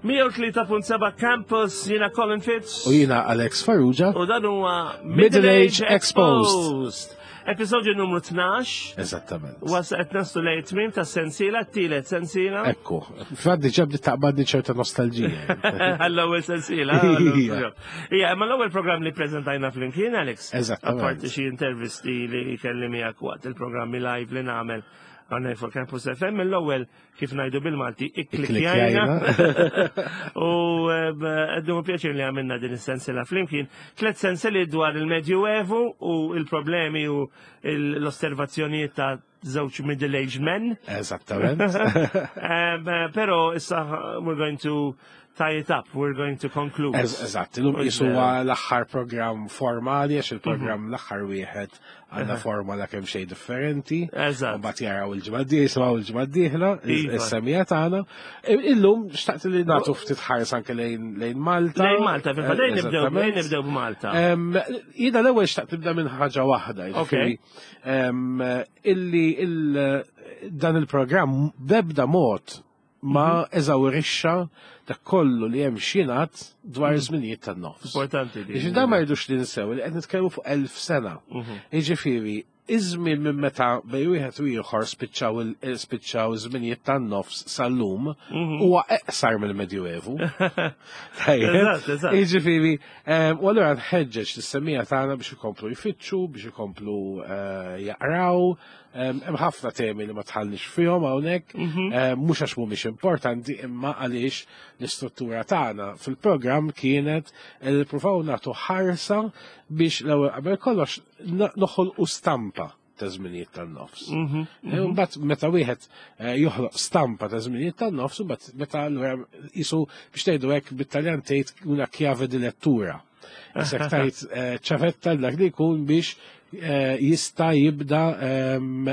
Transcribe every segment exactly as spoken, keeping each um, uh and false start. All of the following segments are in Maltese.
mija u tlieta punt seba' Campus, jiena Colin Fitz. U jiena Alex Farrugia. U dan huwa Middle Age Exposed. Episodju numru tnax. Eżattament. Was qed naslu lejn tmiem ta' sensiela, t-tielet sensiela. Ekku, faddi ġabdi taqbadni ċerta nostalġija. Għall-ewwel sensiela. Ija. Ija, imma l-ewwel programm li preżentajna flimkien, Alex. Eżattament. Apparti xi intervisti li kelli miegħek waqt il-programmi live li nagħmel għandna fuq Campus F M, l-ewwel, kif ngħidu bil-Malti, ikklikjajna. U għeddu pjaċir li għamilna din is-sensiela flimkien. Tlet sensili dwar il-Medjuevu u il-problemi u l-osservazzjonijiet ta' żewġ middle-aged men. Eżattament. Um, uh, pero issa we're going to tie it up, we're going to conclude. Eżatt, illum qisu l-aħħar programm formali, għax il-programm l-aħħar wieħed għandna forma kemm xejn differenti. Eżatt. U mbagħad jaraw il-ġimgħa d-dieħla, jisimgħu il-ġimgħa d-dieħla, Iva. is-semija tagħna. Illum xtaqt li nagħtu ftit ħares anke lejn lejn Malta. Lejn Malta, fil-fatt, lejn nibdew Eżattament. lejn nibdew b'Malta. Em, Jiena l-ewwel xtaqt nibda minn ħaġa waħda, jiġifieri, em, illi il- dan il-programm bebda mod ma eżawrixxa dak kollu li hemm x'jingħad dwar iż-żminijiet tan-nofs. Importanti di. Jiġifieri dan ma rridux li ninsew li qed nitkellmu fuq elf sena. Jiġifieri iż-żmien minn meta bejn wieħed u ieħor spiċċaw il- spiċċaw iż-żminijiet tan-nofs sal-lum huwa eqsar mill-Medjuevu. Tajjeb. Eżatt, eżatt. Jiġifieri, em, u allura nħeġġeġ lis-semmiegħa tagħna biex ikomplu jfittxu, biex ikomplu eh, jaqraw. Em, Hemm ħafna temi li ma dħalniex fihom hawnhekk, em, mhux għax mhumiex importanti, imma għaliex l-istruttura tagħna fil-programm kienet li nippruvaw nagħtu ħarsa biex l-ewwel qabel kollox no- noħolqu stampa ta' żminijiet tan-nofs. Eh, Mbagħad meta wieħed eh, joħloq stampa ta' żminijiet tan-nofs, u mbagħad meta allura qisu, biex tgħidu hekk bit-Taljan tgħid, una chiave di lettura. Isek tajt eh, ċavetta dak li jkun biex eh, jista' jibda ehm,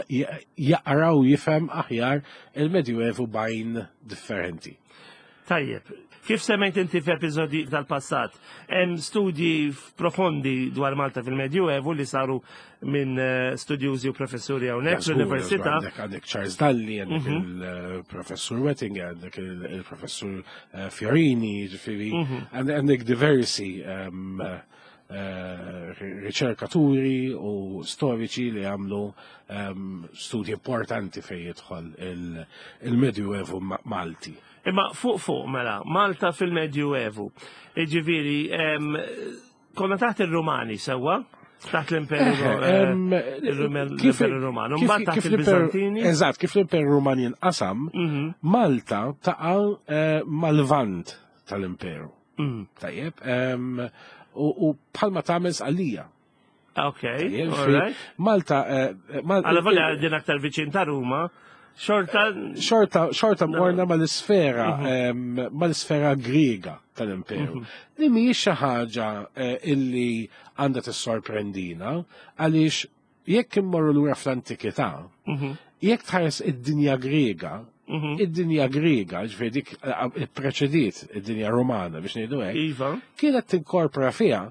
jaqra u jifhem aħjar il-Medjuevu bajn differenti. Tajjeb, kif semmejt inti f'episodji tal-passat, hemm studji profondi dwar Malta fil-Medjuevu li saru minn eh, studjużi u professuri hawnhekk fl-università. Għandek għandek Charles Dalli, għandek il-professur Wettinger, għandek il-professur eh, Fiorini, ġifieri, għandek diversi ehm, eh, riċerkaturi u storiċi li għamlu ehm, studji importanti fej jidħol il- il-Medjuevu Ma- Malti. Imma fuq fuq mela, Malta fil-Medjuevu. Iġifieri, em, konna taħt il-Rumani sewwa? Taħt l-Imperu eh, Em, kif- l-Imperu Rumanu. kif- Mbagħad taħt kif l-Imperu- il-Bizantini. Eżatt, kif l-Imperu Ruman jinqasam, Malta taqa' eh, mal-vant tal-Imperu. Mm. Tajjeb, em, u u bħalma tagħmel Sqallija. Ok, Tajjeb, all fi- right. Malta, eh, Mal- Għalla volja din aktar viċin ta' Ruma, xorta. xorta xorta morna mal-isfera em, mal-isfera Griega tal-Imperu. Li mhijiex xi ħaġa eh, illi għandha tissorprendina, għaliex jekk immorru lura fl-antikità, jekk tħares id-dinja Griega, id-dinja Griega, ġifieri dik eh, preċediet id-dinja Romana, biex ngħidu hekk, Iva. kienet tinkorpora fiha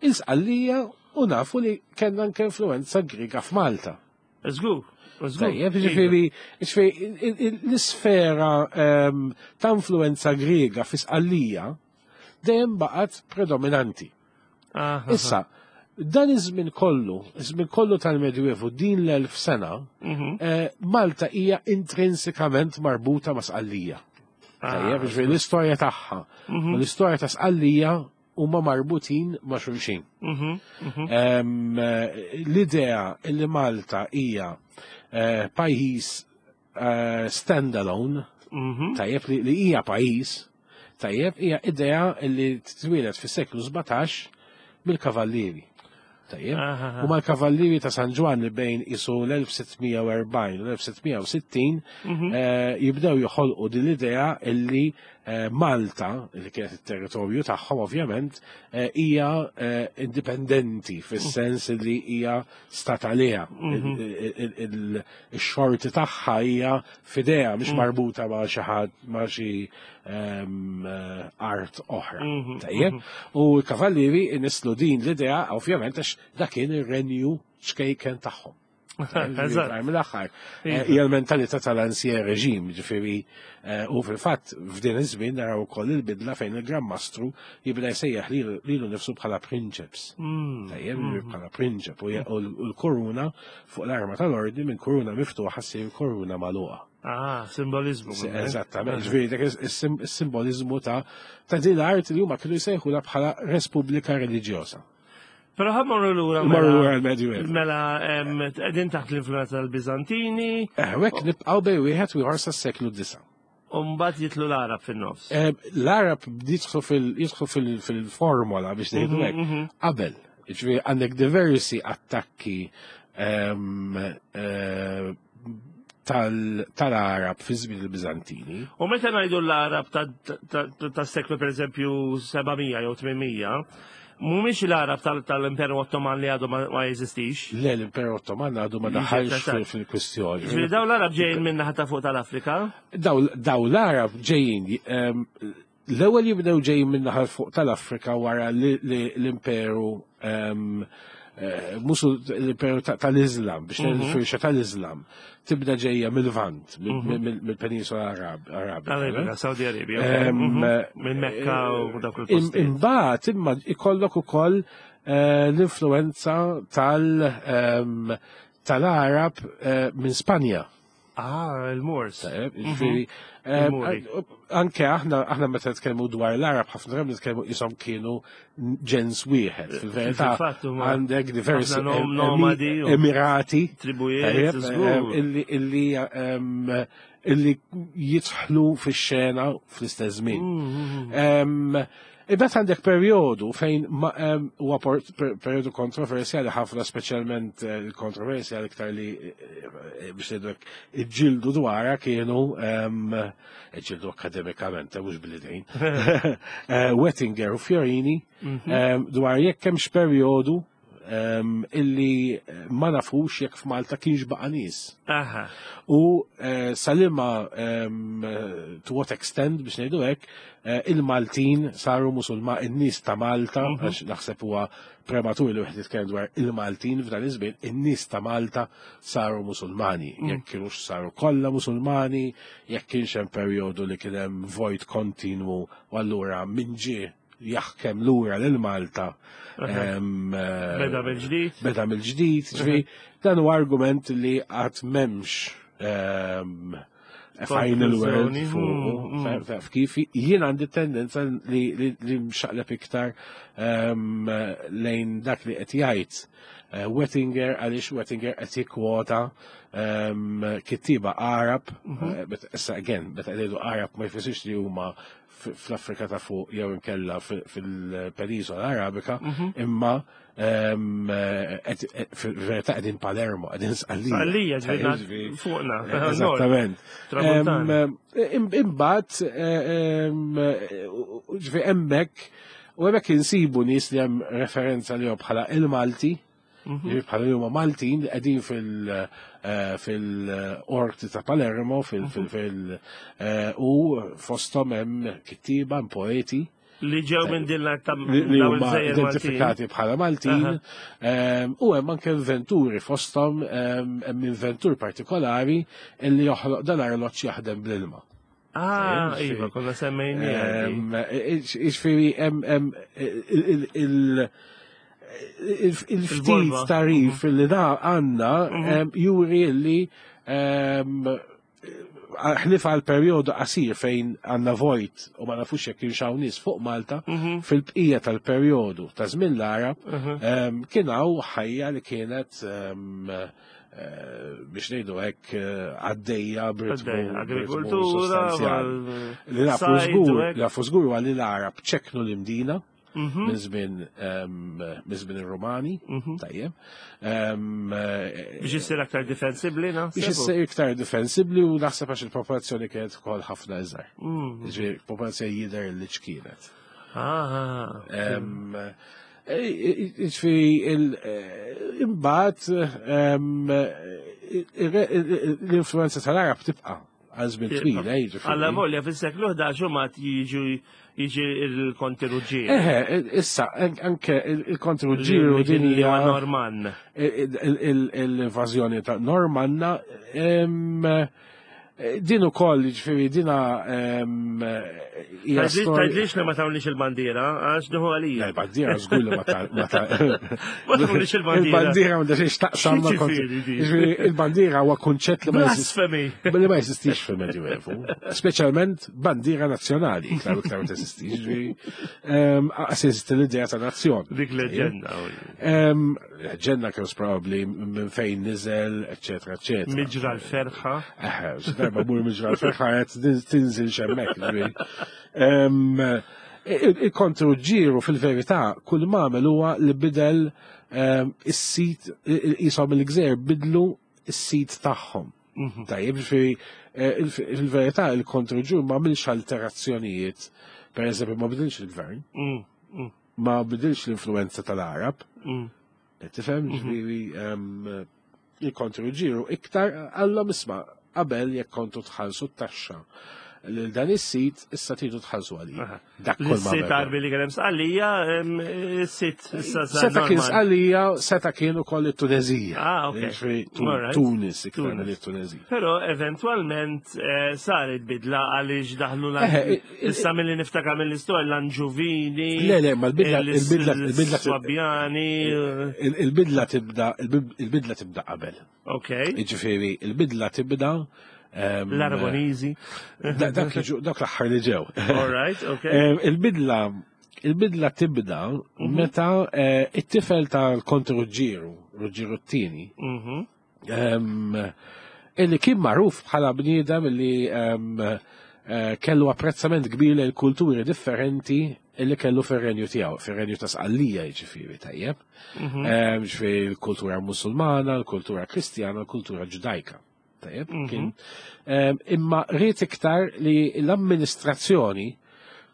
il-Sqallija u nafu li kellna anke influenza Griega f'Malta. Żgur, żgur. Tajjeb, ġifieri, ġifieri, il- il- l-isfera ehm, ta' influenza Griega fi Sqallija dejjem baqgħet predominanti. Aha. Issa, dan iż-żmien kollu, iż-żmien kollu tal-Medjuevu, din l-elf sena, eh, Malta hija intrinsikament marbuta ma' Sqallija. Tajjeb, ġifieri l-istorja tagħha u l-istorja ta' Sqallija huma marbutin ma' xulxin. Em, eh, L-idea li Malta hija eh, pajjiż eh, standalone, tajjeb, li li hija pajjiż, tajjeb, hija idea li twieled fis-seklu sbatax mill-kavallieri. Tajjeb, Aha. u mal-kavallieri ta' San Ġwann li bejn isu l-elf sitt mija u erbgħin u l-elf sitt mija u sittin eh, jibdew joħolqu din l-idea illi eh, Malta, li kienet il-territorju tagħhom ovvjament, eh, hija eh, indipendenti fis-sens li hija stat għaliha. Il-xorti tagħha hija f'idejha, mhix marbuta ma' xi ħadd, ma' xi ehm, eh, art oħra. Tajjeb? U l-kavallieri nislu din l-idea ovvjament għax dak kien ir-renju ċkejken tagħhom. Eżatt. Mill-aħħar. Iva. Hija l-mentalità tal-ancien régime, ġifieri, eh, u fil-fatt f'din iż-żmien naraw ukoll il-bidla fejn il-Gran Mastru jibda jsejjaħ lilu lilu nnifsu bħala prinċeps. Mm. Tajjeb, mm. bħala prinċep u u l-koruna fuq l-arma tal-ordni minn koruna miftuħa ssir koruna magħluqa. Ah, simbolizmu. eh? Eżattament, ġifieri dak is-sim- is-simbolizmu ta' ta' din l-art li huma kienu jsejħula bħala Repubblika Reliġjosa. Però ħa mmorru lura. Marru mela- lura l-Medjuevu. Mela, em, qegħdin taħt l-influenza tal-Bizantini, Eh, Hekk nibqgħu bejn wieħed u ieħor sas-seklu disa. u mbagħad jidħlu l-Arab fin-nofs. Eh, L-Arab jidħlu fil- jidħlu fil- fil-formola biex ngħidu hekk qabel. Ġifieri għandek diversi attakki em, eh, tal- tal-Arab fi żmien il-Biżantini. U meta ngħidu l-Arab tas-seklu pereżempju seba' mija jew tmien mija, mhumiex l-Arab tal- tal-Imperu Ottoman li għadu ma ma jeżistix. Le, l-Imperu Ottoman għadu ma Jiġi daħalx eżatt. fil- fil-kwistjoni. Ġifieri daw l-Arab ġejjin minn naħa ta' fuq tal-Afrika. Daw daw l-Arab ġejjin em, l-ewwel jibdew ġejjin minn naħa fuq tal-Afrika wara li li l-Imperu em, eh, musu l-Imperu ta- tal-Islam biex ngħidu l-firxa tal-Islam tibda ġejja mill-Lvant, mill- mill-Penisola Arab- Arabika. Arabika, Saudi Arabia. Em, Mhm. Minn Mekka u dawk Im- il-postijiet. Imbagħad imma ikollok ukoll eh, l-influenza tal em, tal-Arab eh, minn Spanja. Ah, il-Moors. Tajjeb, ġifieri, eh, Il-Muri. anke aħna aħna meta nitkellmu dwar l-Arab ħafna drabi nitkellmu qishom kienu ġens wieħed. Fil-verità Fil-fatt huma għandek diversi ħafna nom- em- nomadi u emirati tribujiet, tajjeb, żgur. em, illi illi em, illi jidħlu fix-xena fl-istess żmien. Mm-hmm. Em, Imbagħad għandek perjodu fejn ma- em, huwa por- per- perjodu kontroversjali ħafna, speċjalment eh, il-kontroversja l-iktar li eh, eh, biex ngħidu hekk iġġieldu dwarha kienu em, iġġieldu akademikament, eh, mhux bil-idejn. Eh, Wettinger u Fiorini em, dwar jekk hemmx perjodu em, illi ma nafux jekk f'Malta kienx baqa' nies. Aha. U eh, sa liema em, eh, to what extent biex ngħidu hekk eh, il-Maltin saru musulma in-nies ta' Malta, għax naħseb huwa prematur li wieħed jitkellem dwar il-Maltin f'dan iż-żmien, in-nies ta' Malta saru musulmani. Jekk kienux saru kollha musulmani, jekk kienx hemm perjodu li kien hemm vojt kontinwu u allura min ġie jaħkem lura lil Malta em, eh, Beda mill-ġdid. Beda mill-ġdid, ġifieri dan huwa argument li għad m'hemmx ehm, a final word Konklużjoni. fuq Mm, mm, kif jien għandi tendenza li, li, li mxaqleb iktar ehm, lejn dak li qed jgħid eh, Wettinger, għaliex Wettinger qed jikkwota ehm, kittiba Arab, eh, bet- issa again, meta ngħidu Arab ma jfissirx li huma f- fl-Afrika ta' fuq jew inkella fil- fil-Penisola Arabika, imma ehm, eh, qed- eh, fil-verità qegħdin Palermo, qegħdin Sqallija. Sqallija, ġifieri, Ġifieri, fuqna, eh, Eżattament. Tramuntana. Em, im- Imbagħad eh, em, eh, ġifieri hemmhekk u hemmhekk insibu nies li hemm referenza li bħala il-Malti, ġifieri bħala li huma Maltin li qegħdin fil- eh, fil-qorti ta' Palermo, fil- fil- fil- eh, u fosthom hemm kittiba, hemm poeti Li ġew minn din l-art ta' li li dawn huma il-gżejjer Maltin. identifikati bħala Maltin, em, u hemm anke inventuri fosthom em, hemm inventur partikolari illi joħloq dan arloġġ jaħdem bl-ilma. Ah, Ġifieri- iva, konna semmejni. Em, Ġifieri hemm hemm il- il- il- il- il-ftit Il-borma. tarif li da għandna em, juri li em, ħlief għal perjodu qasir fejn għandna vojt u ma nafux jekk kienx hawn nies fuq Malta, fil-bqija tal-perjodu ta' żmien l-Arab em, kien hawn ħajja li kienet em, eh, biex ngħidu hekk eh, għaddejja b'ritmu Għaddejja, b'ritmu agrikoltura, sostanzjali. mal- Li nafu sajd u żgur, hekk. li nafu żgur huwa li l-Arab ċeknu l-Imdina minn żmien em, minn żmien ir-Rumani, tajjeb. Em, eh, Biex issir aktar difensibli, na? Biex issir iktar difensibli u naħseb għax il-popolazzjoni kienet ukoll ħafna iżgħar. Ġifieri popolazzjoni jidher li ċkienet. Ah, Em, eh, Ġifieri il- eh, imbagħad em, il- il- l-influenza tal-Arab tibqa' għal żmien twil, eh, jiġifieri. Alla volja fis-seklu ħdax u mat jiġu jiġi il-Konti Ruġġieru. Eħe, issa, anke il-Konti Ruġġieru din hija Normann. L-invażjoni ta' Normanna, din ukoll, ġifieri dina hija Tgħidlix li ma tawniex il-bandiera, għax duħu għalija. Il-bandiera żgur li ma ta' Ma tawniex il-bandiera. Il-bandiera ma xiex taqsam ma' Ġifieri il-bandiera huwa kunċett li ma Blasfemi. li ma jeżistix fil-Medjuevu, speċjalment bandiera nazzjonali, iktar u iktar ma teżistix, ġifieri għas jeżisti l-idea ta' nazzjon. Dik leġenda. Leġenda kien probabbli minn fejn niżel, eċetera, eċetera. Miġra l-ferħa. Eħe, darba mur miġra l-ferħa qed tinżil xemmek. Ġifieri. Il-Konti Ruġġieru fil-verità kull ma għamel huwa li bidel is-sit, jisom il-gżejjer bidlu is-sit tagħhom. Tajjeb, ġifieri fil-verità il-Konti Ruġġieru ma għamilx alterazzjonijiet, per eżempju ma bidilx il-gvern, ma bidilx l-influenza tal-Arab. Tifhem, ġifieri il-Konti Ruġġieru iktar għallhom isma' qabel jekk kontu tħallsu t-taxxa lil dan is-sit issa tridu tħallsu għalih. Dak kull ma. Is-sit Għarbi li kien hemm Sqallija, is-sit issa Seta kien Sqallija, seta kien ukoll it-Tunezija. Ah, ok. Tunis iktar mill-Tunezija. Però eventwalment saret bidla għaliex daħlu issa milli niftakar mill-istorja l-Anġuvini. Le, le, ma l-bidla il-bidla il-bidla Swabjani. Il-bidla tibda il-bidla tibda qabel. Ok. Jiġifieri il-bidla tibda l-Aragonizi. Dak l-aħħar li ġew. All right, ok. Il-bidla il-bidla tibda meta it-tifel tal-Konti Ruġġieru, Ruġġieru t-tieni, illi kien magħruf bħala bniedem illi kellu apprezzament kbir lejn kulturi differenti illi kellu fir-renju tiegħu, fir-renju ta' Sqallija jiġifieri tajjeb. Ġifieri l-kultura Musulmana, l-kultura Kristjana, l-kultura Ġudajka. Tajjeb, kien. Imma ried iktar li l-amministrazzjoni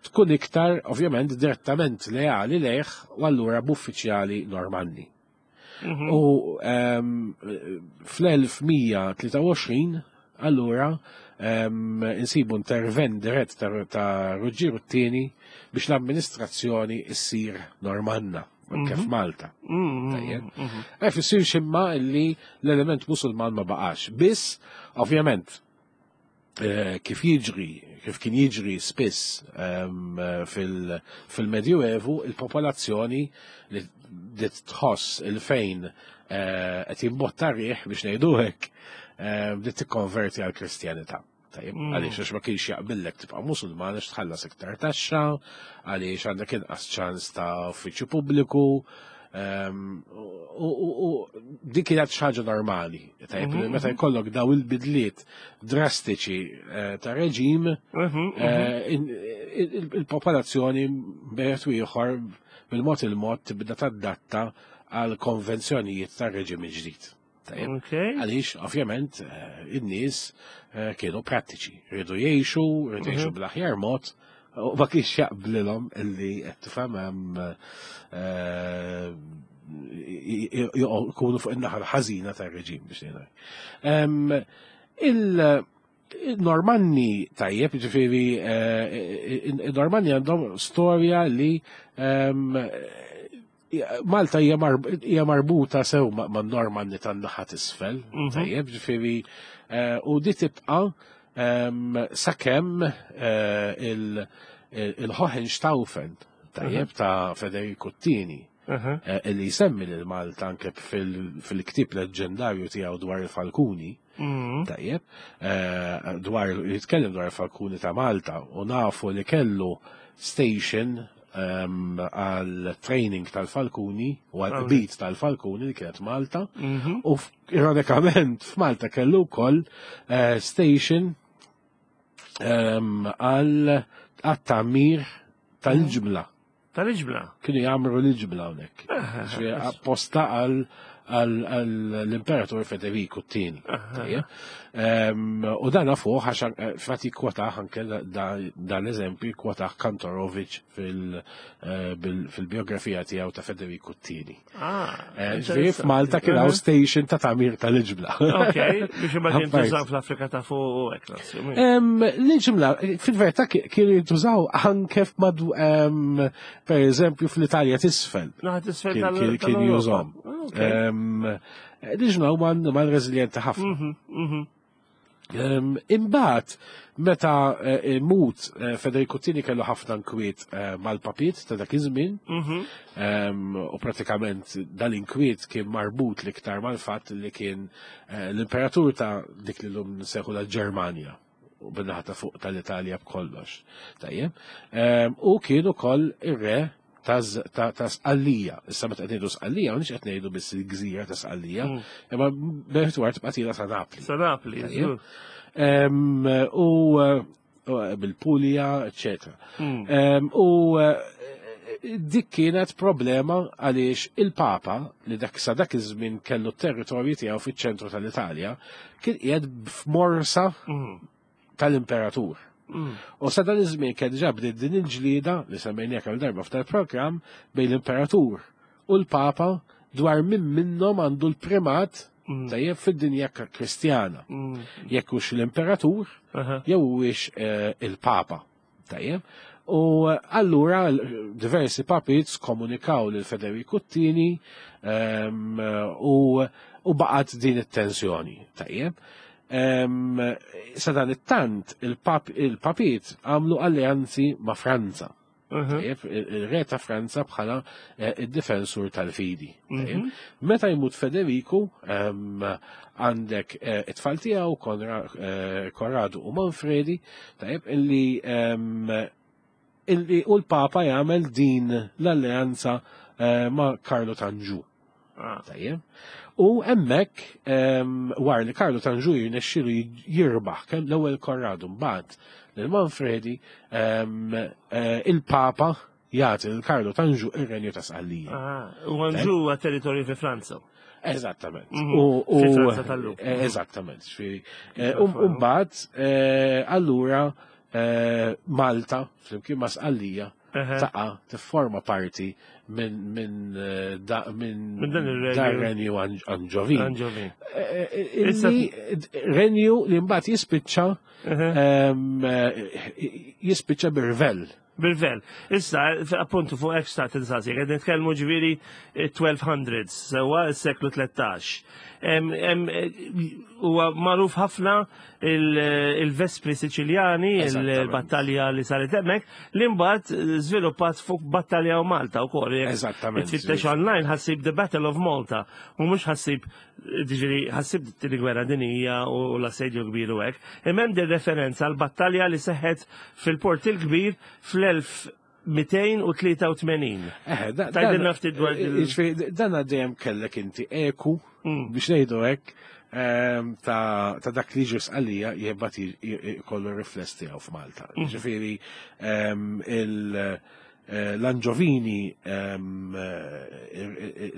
tkun iktar, ovvjament, direttament leali lejh u allura b'uffiċjali Normanni. U fl-elf mija tlieta u għoxrin, allura, insibu intervent dirett ta' Ruġġieru t-tieni biex l-amministrazzjoni issir Normanna, anke f'Malta. Tajjeb. Ma jfissirx imma li l-element Musulman ma baqax. Biss, ovvjament, kif jiġri, kif kien jiġri spiss fil-Medjuevu, il-popolazzjoni li bdiet tħoss il-fejn qed jimbotta riħ biex ngħidu hekk, bdiet tikkonverti għall-Kristjanità. Tajjeb, għaliex għax ma kienx jaqbillek tibqa' Musulman għax tħallas iktar taxxa, għaliex għandek inqas ċans ta' uffiċċju pubbliku, u dik kienet xi ħaġa normali. Tajjeb, meta jkollok daw il-bidliet drastiċi ta' reġim, il-popolazzjoni bejn u ieħor bil-mod il-mod tibda tadatta għal konvenzjonijiet ta' reġim ġdid. Għaliex, ovvjament, in-nies kienu prattiċi, rridu jgħixu, rridu jgħixu bl-aħjar mod, u ma kienx jaqblilhom illi qed tifhem hemm jkunu fuq in-naħa l-ħażina tar-reġim biex ngħidu. Il-Normanni tajjeb, ġifieri il-Normanni għandhom storja li Malta hija marbuta sew ma' Normanni tan-naħa t'isfel, tajjeb, ġifieri u di tibqa' sakemm il-Hohenstaufen, tajjeb, ta' Federico t-tieni, illi jsemmi lil Malta anke fil-ktieb leġġendarju tiegħu dwar il-Falkuni, tajjeb, dwar jitkellem dwar il-Falkuni ta' Malta u nafu li kellu station għal training tal-Falkuni u għal qbid tal-Falkuni li kienet Malta u ironikament f'Malta kellu wkoll station għal għat-tagħmir tal-ġimla. Tal-ġimla? Kienu jagħmlu l-ġimla hawnhekk. Apposta għal għall-Imperatur Federiku t-tieni. U dan fuq għax fatti kwotaħ anke dan l-eżempju kwotaħ Kantorovic fil-biografija tiegħu ta' Federiku t-tieni. Ġifieri f'Malta kien hawn station ta' tagħmir tal-iġbla. Ok, biex imbagħad jintużaw fl-Afrika ta' fuq u hekk. L-iġbla, fil-verità kienu jintużaw anke f'madu per eżempju fl-Italja t'isfel. Kien jużhom. L-iġbla huma annimal reżiljenti ħafna. Imbagħad meta mut Federico t-tieni kellu ħafna nkwiet mal-papiet ta' dak iż-żmien, u pratikament dal-inkwiet kien marbut l-iktar mal-fatt li kien l-imperatur ta' dik li llum nsejħu l-Ġermanja u bin-naħa ta' fuq tal-Italja b'kollox. Tajjeb. U kien ukoll ir-re ta' Sqallija. Issa meta qed ngħidu Sqallija, mhux qed ngħidu biss il-gżira ta' Sqallija, imma b'war tibqa' tila sa' Napli. Sa' Napli, U bil-Puglia, eccetera. U dik kienet problema għaliex il-Papa li dak sa dak iż-żmien kellu t-territorju tiegħu fiċ-ċentru tal-Italja kien qiegħed f'morsa tal-imperatur. U sa dan iż-żmien kien diġà bdiet din il-ġlieda li semmejniha kemm darba f'tal programm bejn l-imperatur u l-Papa dwar min minnhom għandu l-primat tajjeb fid-dinja Kristjana. Jekk hux l-imperatur jew huwiex il-Papa. Tajjeb. U allura diversi papiet komunikaw lil Federico t-tieni u baqgħet din it-tensjoni. Tajjeb. Sa dan it-tant il-papiet għamlu alleanzi ma' Franza. Il-re ta' Franza bħala id-difensur tal-fidi. Meta jmut Federico għandek it-tfal tiegħu Konradu u Manfredi, tajjeb illi illi u l-Papa jagħmel din l-alleanza ma' Karlu t'Anġu. Tajjeb. U hemmhekk wara li Karlu t'Anġu jirnexxielu jirbaħ kemm l-ewwel Konradu mbagħad lil Manfredi, il-Papa jagħti lil Karlu t'Anġu ir-Renju ta' Sqallija. U Anġu huwa territorju fi Franza. Eżattament. Fi Franza tal-lum. Eżattament. U mbagħad allura Malta flimkien ma' Sqallija taqa' tifforma parti minn minn minn dan ir-renju Anġovin. Renju li mbagħad jispiċċa jispiċċa b'irvell. B'irvell. Issa, appuntu fuq hekk xtaqt insaqsi, qed nitkellmu ġifieri twelve hundreds, sewwa s-seklu tlettax. Huwa magħruf ħafna il-Vespri Siċiljani, il-battalja li saret hemmhekk, li mbagħad żviluppat fuq battalja u Malta wkoll. Eżattament. Tfittex online ħassib The Battle of Malta, u mhux ħassib ġifieri ħassib it-tieni gwerra dinjija u l-assedju kbir u hekk. Imma hemm din referenza għal battalja li seħħet fil-Port il-Kbir fl-elf mitejn u tlieta u tmenin. Tgħidilna ftit dwar il- Jiġifieri, dan dejjem kellek inti eku biex ngħidu hekk ta' dak li ġie Sqallija jibgħat jkollu rifless tiegħu f'Malta. Jiġifieri l-Anġovini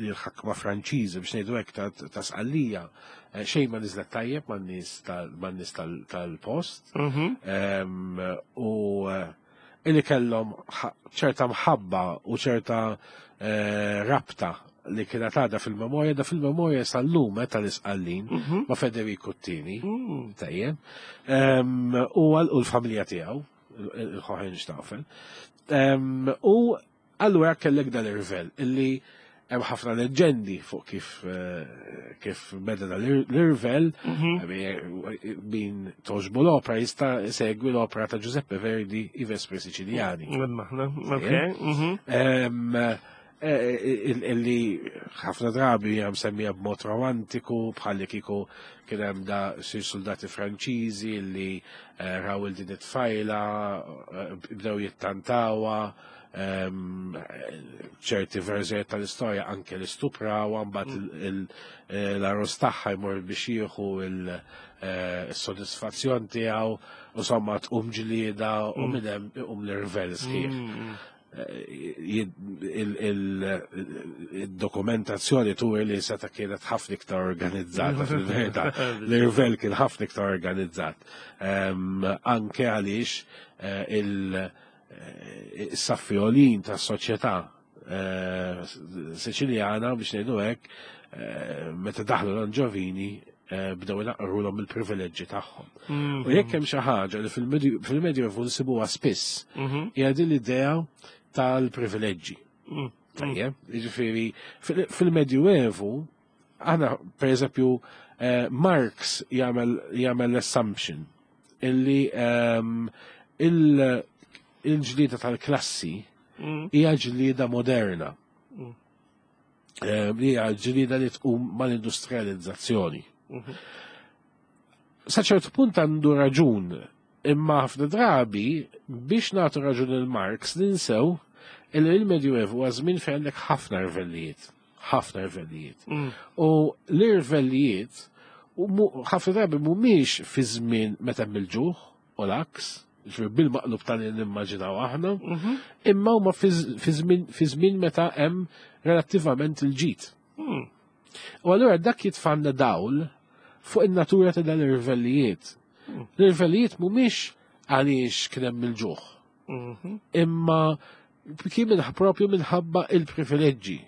il-ħakma Franċiżi biex ngħidu hekk ta' Sqallija xejn ma niżlet tajjeb man-nies tal-post. U illi kellhom ċerta mħabba u ċerta rabta li kienet għadha fil-memorja, da fil-memorja sal-lum tal-Isqallin ma' Federico t-tieni, tajjeb, u l-familja tiegħu, il-Hohenstaufen. U allura kellek dal-irvel illi hemm ħafna leġendi fuq kif kif beda dal-irvel, min toġbu l-opera jista' segwi l-opera ta' Giuseppe Verdi, I Vespri Siciliani. Illi ħafna drabi hija msemmija b'mod romantiku, bħalli kieku kien hemm da xi soldati Franċiżi li raw il din it-tfajla, bdew jittantawha, ċerti verżjonijiet tal-istorja anke li stuprawha, mbagħad l-arroz tagħha jmur biex jieħu il-sodisfazzjon tiegħu, u somma tqum ġlieda u minn hemm iqum l-irvel sħiħ. Il-dokumentazzjoni turi li seta kienet ħafna iktar organizzata fil-verità. L-irvel kien ħafna iktar organizzat. Anke għaliex il-saffi għoljin tas-soċjetà Siċiljana, biex ngħidu hekk, meta daħlu l-Anġovini bdew naqrulhom il-privileġġi tagħhom. U jekk hemm xi ħaġa li fil-Medjuevu nsibuha spiss, hija din l-idea tal-privileġġi. Tajjeb, jiġifieri fil-Medjuevu aħna pereżempju Marx jagħmel jagħmel l-assumption illi il-ġlieda tal-klassi hija ġlieda moderna. Hija ġlieda li tqum mal-industrializzazzjoni. Sa ċertu punt għandu raġun, imma ħafna drabi biex nagħtu raġun il Marx ninsew illi il-Medjuevu huwa żmien fejn għandek ħafna rvellijiet, ħafna rvellijiet. U l-irvellijiet ħafna drabi mhumiex fi żmien meta hemm il-ġuħ u l-għaks, bil-maqlub tal nimmaġinaw aħna, imma huma fi żmien meta hemm relattivament il-ġid. U allura dak jitfanna dawl fuq in-natura ta' dan ir-rivellijiet. L-irvellijiet mhumiex għaliex kien hemm il-ġuħ. Imma kien minn propju minħabba il-privileġġi,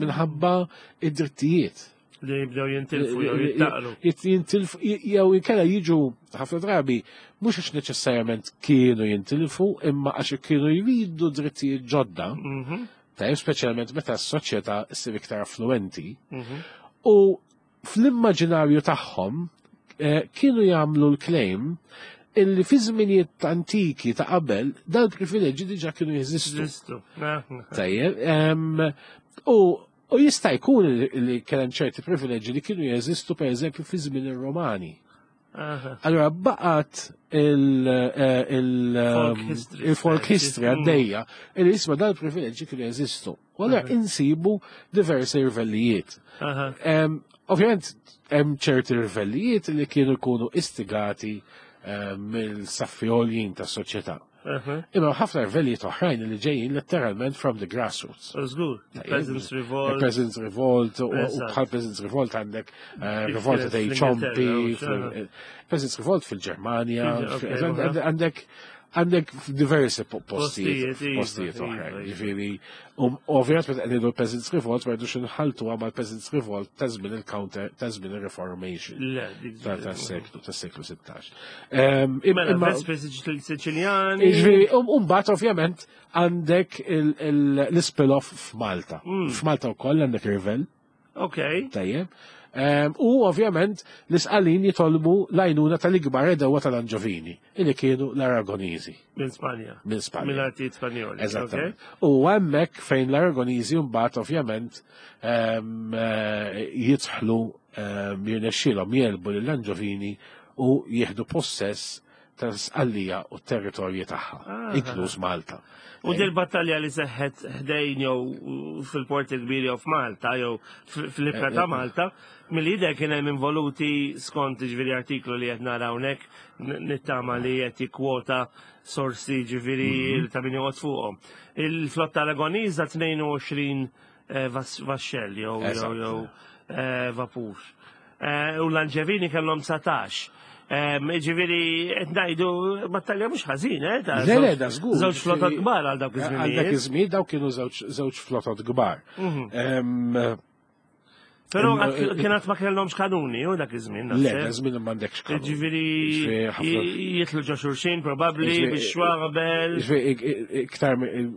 minħabba id-drittijiet. Li jibdew jintilfu jew jittaqlu. Jintilfu jew inkella jiġu ħafna drabi mhux għax neċessarjament kienu jintilfu, imma għax kienu jridu drittijiet ġodda. Tajjeb, speċjalment meta s-soċjetà ssir iktar affluenti. U fl-immaġinarju tagħhom kienu jagħmlu l-claim illi fi żminijiet antiki ta' qabel dal-privileġġi diġà kienu jeżistu. Tajjeb, u u jista' jkun li kien hemm ċerti privileġġi li kienu jeżistu pereżempju fi żmien ir-Romani. Allora baqgħet il-folk history għaddejja illi jisma' dal-privileġġi kienu jeżistu. U allura insibu diversi rvellijiet. Ovvjament hemm ċerti rvellijiet li kienu jkunu istigati mill-saffi għoljin tas-soċjetà. Imma ħafna rvellijiet oħrajn li ġejjin letteralment from the grassroots. Żgur, Peasants Revolt. Peasants Revolt, u bħal Peasants Revolt għandek Revolt dei Ciompi, Peasants Revolt fil-Ġermanja, għandek għandek diversi postijiet postijiet oħrajn. Ġifieri, ovvjament meta qegħdu Peasants Revolt ma rridux inħaltu mal Peasants Revolt ta' żmien il-counter ta' żmien il-Reformation. Tas-seklu tas-seklu sittax. Mela Vespri Siċiljani. Ġifieri, u mbagħad ovvjament għandek l-spin-off f'Malta. F'Malta wkoll għandek Rivel. Ok. Tajjeb. U ovvjament l-Isqalin jitolbu l-għajnuna tal-ikbar għedewwa tal-Anġovini, illi kienu l-Aragoniżi. Minn Spanja. Minn Spanja. Mill-artijiet Spanjoli. Eżattament. U hemmhekk fejn l-Aragoniżi mbagħad ovvjament jidħlu jirnexxielhom jelbu lill-Anġovini u jieħdu possess tal-Sqallija u t-territorji tagħha, inkluż Malta. U dil battalja li seħħet ħdejn jew fil-Port il-Kbir jew f'Malta jew fl-ibħra ta' Malta, mill-jidher kien hemm involuti skont ġifieri artiklu li qed nara hawnhekk nittama li qed jikkwota sorsi ġifieri ta' min joqgħod fuqhom. Il-flotta Aragoniża tnejn u għoxrin vaxxell jew jew vapur. U l-Anġevini kellhom dsatax. Ġifieri qed ngħidu battalja mhux ħażin, eh? Le, le, da żgur. Żewġ flotot kbar għal dawk iż-żmien. Għal dak iż-żmien dawk kienu żewġ flotot kbar. Però kien qatt ma kellhomx kanuni, u dak iż-żmien. Le, dak iż-żmien m'għandekx kanuni. Ġifieri jitlu ġo xulxin probabbli biex xwabel. Ġifieri iktar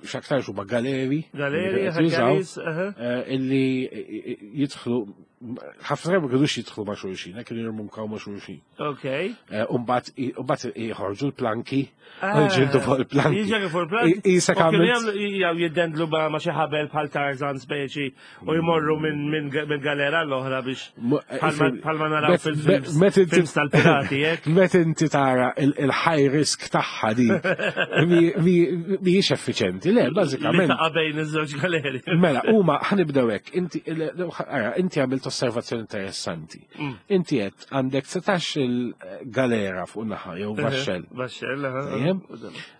x'aktar huma galeri. Galeri, ħaggaris, illi jidħlu ħafna drabi ma kinux jidħlu ma' xulxin, kienu jirmunkaw ma' xulxin. Ok. U mbagħad jħorġu l-planki, jġildu fuq il-planki. Jiġu fuq il-planki. Isa kienu jew jiddendlu ma' xi ħabel bħal Tarzan speċi u jmorru minn galera l-oħra biex bħalma naraw fil-films tal-pirati, hekk. Meta inti tara il-high risk tagħha dik mhijiex effiċenti, le, bażikament. Li taqa' bejn iż-żewġ galeri. Mela, huma ħanibdew hekk, inti inti għamilt għamilt osservazzjoni interessanti. Mm. Inti qed għandek setax il-galera fuq naħa jew vaxxell. Vaxxell, aha. Tajjeb.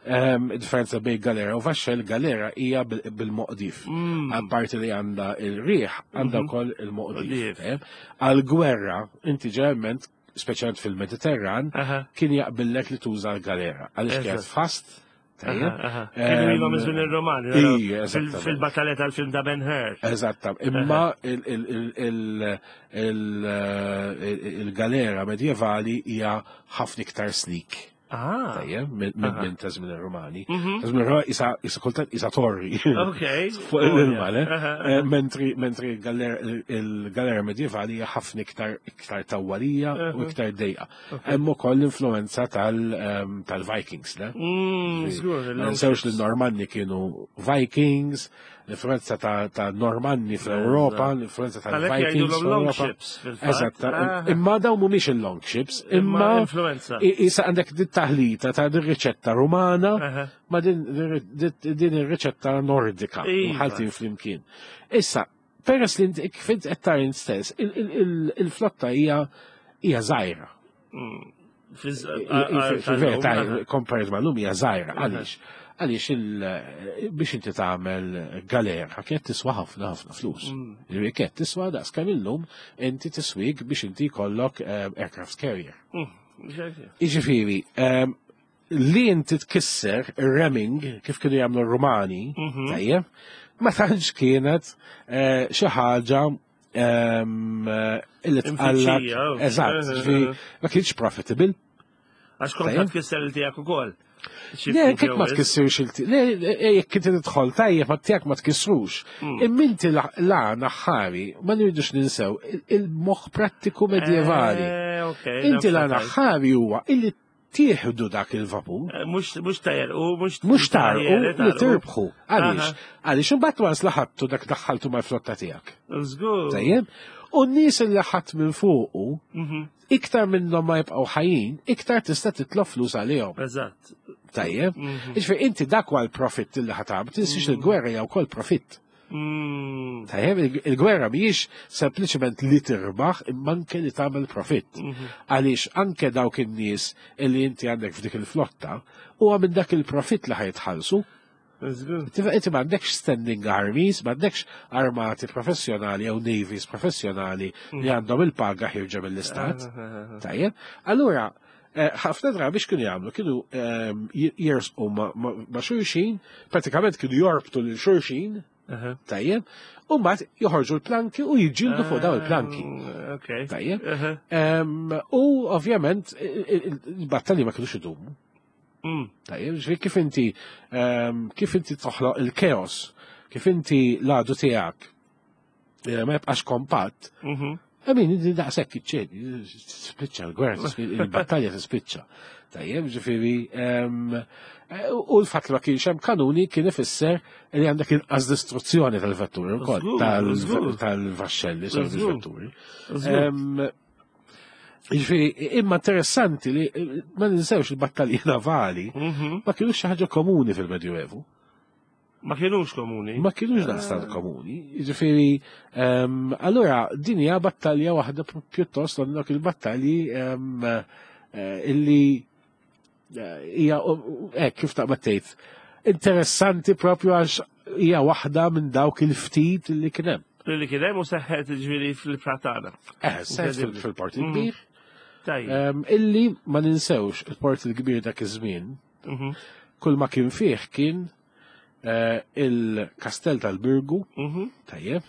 Ehm, Differenza bejn galera u vaxxell, galera hija bil- bil-moqdif. Mm. Apparti li għandha il-riħ, għandha wkoll il-moqdif. Moqdif. Tajjeb. Għal-gwerra, inti ġeneralment, speċjalment fil-Mediterran, Aha. kien jaqbillek li tuża l-galera. Għaliex kienet Eżatt. fast, tajjeb. Aha, aha. Kienu ilhom Ehm, iż-żmien ir-Romani. Ija, naraw, fil- eżattament. Fil-battalja tal-film ta' Ben Hur. Eżatta, imma il- il- il- il- il- il-galera medjevali hija ħafna iktar sleek. Ah. Tajjeb, minn minn- Aha. minn ta' żmien ir-Romani. Mhm. Ta' żmien ir-Romani isa isa kultant isa torri. Ok. Fuq l-ilma, le? Aha, Eh, aha. Mentri mentri il-galera il-galera medjevali hija ħafna iktar iktar tawwalija u Aha. iktar dejqa. Hemm ukoll l-influenza tal- ehm, tal-Vikings, le? Mm, żgur, Ma il-long ninsewx li ships. l-Normanni kienu Vikings, l-influenza ta', ta Normanni fl-Europa, l-influenza Għalhekk tal-Vikings jgħidulhom long fl-Europa. ships fil-fatt. Eżatt, Ah. imma dawn mhumiex il-long ships, Imma imma influenza. i- Issa għandek dit taħlita ta' din riċetta rumana Aha. ma din din ir-riċetta nordika Iva. mħaltin flimkien. Issa, peress li inti kif int qed tara int stess, il- il- il- il-flotta hija hija żgħira. Mm. Fiż- a- a- Fil-verità, tal-lum, aha. compared ma' l-lum hija żgħira. Għaliex? Għaliex il- biex inti tagħmel galera kienet tiswa ħafna ħafna flus. Mm. Ġifieri kienet tiswa daqs kemm illum inti tiswik biex inti jkollok eh, aircraft carrier. Mm. Ġefi. Jiġifieri, ehm, li inti tkisser ir-ramming kif kienu jagħmlu r-Rumani, Mhm. tajjeb, ma tantx kienet eh, xi ħaġa ehm, eh, illi tqallak. Imfittxija, oh. Eżatt, Eh, ġifieri, eh, ma kienx profitable. Għax kont Tajjeb. ħadd kisser il-tiegħek ukoll. Xi Le, ftit kif jew ma wisq. tkissirx il Le, le, jekk inti tidħol tajjeb ma tiegħek ma tkissrux. Mm. Imma inti la- la aħħari ma nridux ninsew il- il-moħħ prattiku medjevali. Eh, ok, Inti la nafsa tajt. aħħari huwa illi tieħdu dak il-vapur. Eh, Mux mux tajer, u mux Mux tarqu li tirbħu. Għaliex? Aha. Għaliex imbagħad wans laħattu dak daħħaltu mal-flotta tiegħek. Żgur. Tajjeb? U n-nies li ħadd minn fuqu, Mhm, iktar minnhom ma jibqgħu ħajjin, iktar tista' titlob flus għalihom. Eżatt. Tajjeb? Mhm. Iġifieri inti dak huwa l-profitt li ħatam, tinsiex il-gwerra hija wkoll profitt. Mm. Tajjeb, il- il-gwerra mhijiex sempliċement li tirbaħ imma anke li tagħmel profitt. Mhm. Għaliex anke dawk in-nies illi inti għandek f'dik il-flotta huwa minn dak il-profitt li ħajtħallsu. Żgur. Inti inti m'għandekx standing armies, m'għandekx armati professjonali jew navies professjonali li għandhom il-paga ħirġa mill-istat. Ah, Tajjeb. Allura, eh, ħafna drabi x'kienu jagħmlu? Kienu ehm, j- jersqu ma- ma ma' xulxin, pratikament kienu jorbtu lil xulxin, Aha. tajjeb, u mbagħad joħorġu l-planki u jiġġieldu fuq daw il-planki. Ah, Ok. Tajjeb. Aha. Ehm, U ovvjament il- il-battalji ma kienux idumu. Mm. Tajjeb, ġifieri kif inti ehm, kif inti toħloq il-keos, kif inti l-għadu tiegħek eh, ma jibqax kompatt, Mhm. I mean, inti daqshekk iċċedi, tispiċċa l-gwerra, il-battalja tispiċċa. Tajjeb, ġifieri, ehm, eh, u l-fatt li ma kienx hemm kanuni kien ifisser li għandek inqas distruzzjoni tal-vetturi wkoll, Żgur, tal- żgur. tal-vaxxelli, sorry, Żgur. vetturi. Żgur. Ehm, Ġifieri, imma interessanti li eh, ma ninsewx il-battalji navali Mhm. ma kienux xi ħaġa komuni fil-Medjuevu. Ma kienux komuni. Ma kienux daqstant komuni. Ġifieri, ehm, allura din hija battalja waħda pr- pjuttost għal dawk il-battalji ehm, eh, illi eh, hija hekk kif taqbad tgħid. Interessanti propju għax hija waħda minn dawk il-ftit illi kien hemm. Li kien hemm u seħħet ġifieri fil-pratana. Eh, seħħet fil- fil-port il-kbir. Tajjeb. Ehm, Illi ma ninsewx il-port il-kbir dak iż-żmien, Mhm. kull ma kien fih kien eh, il-kastell tal-Birgu, Mhm. tajjeb,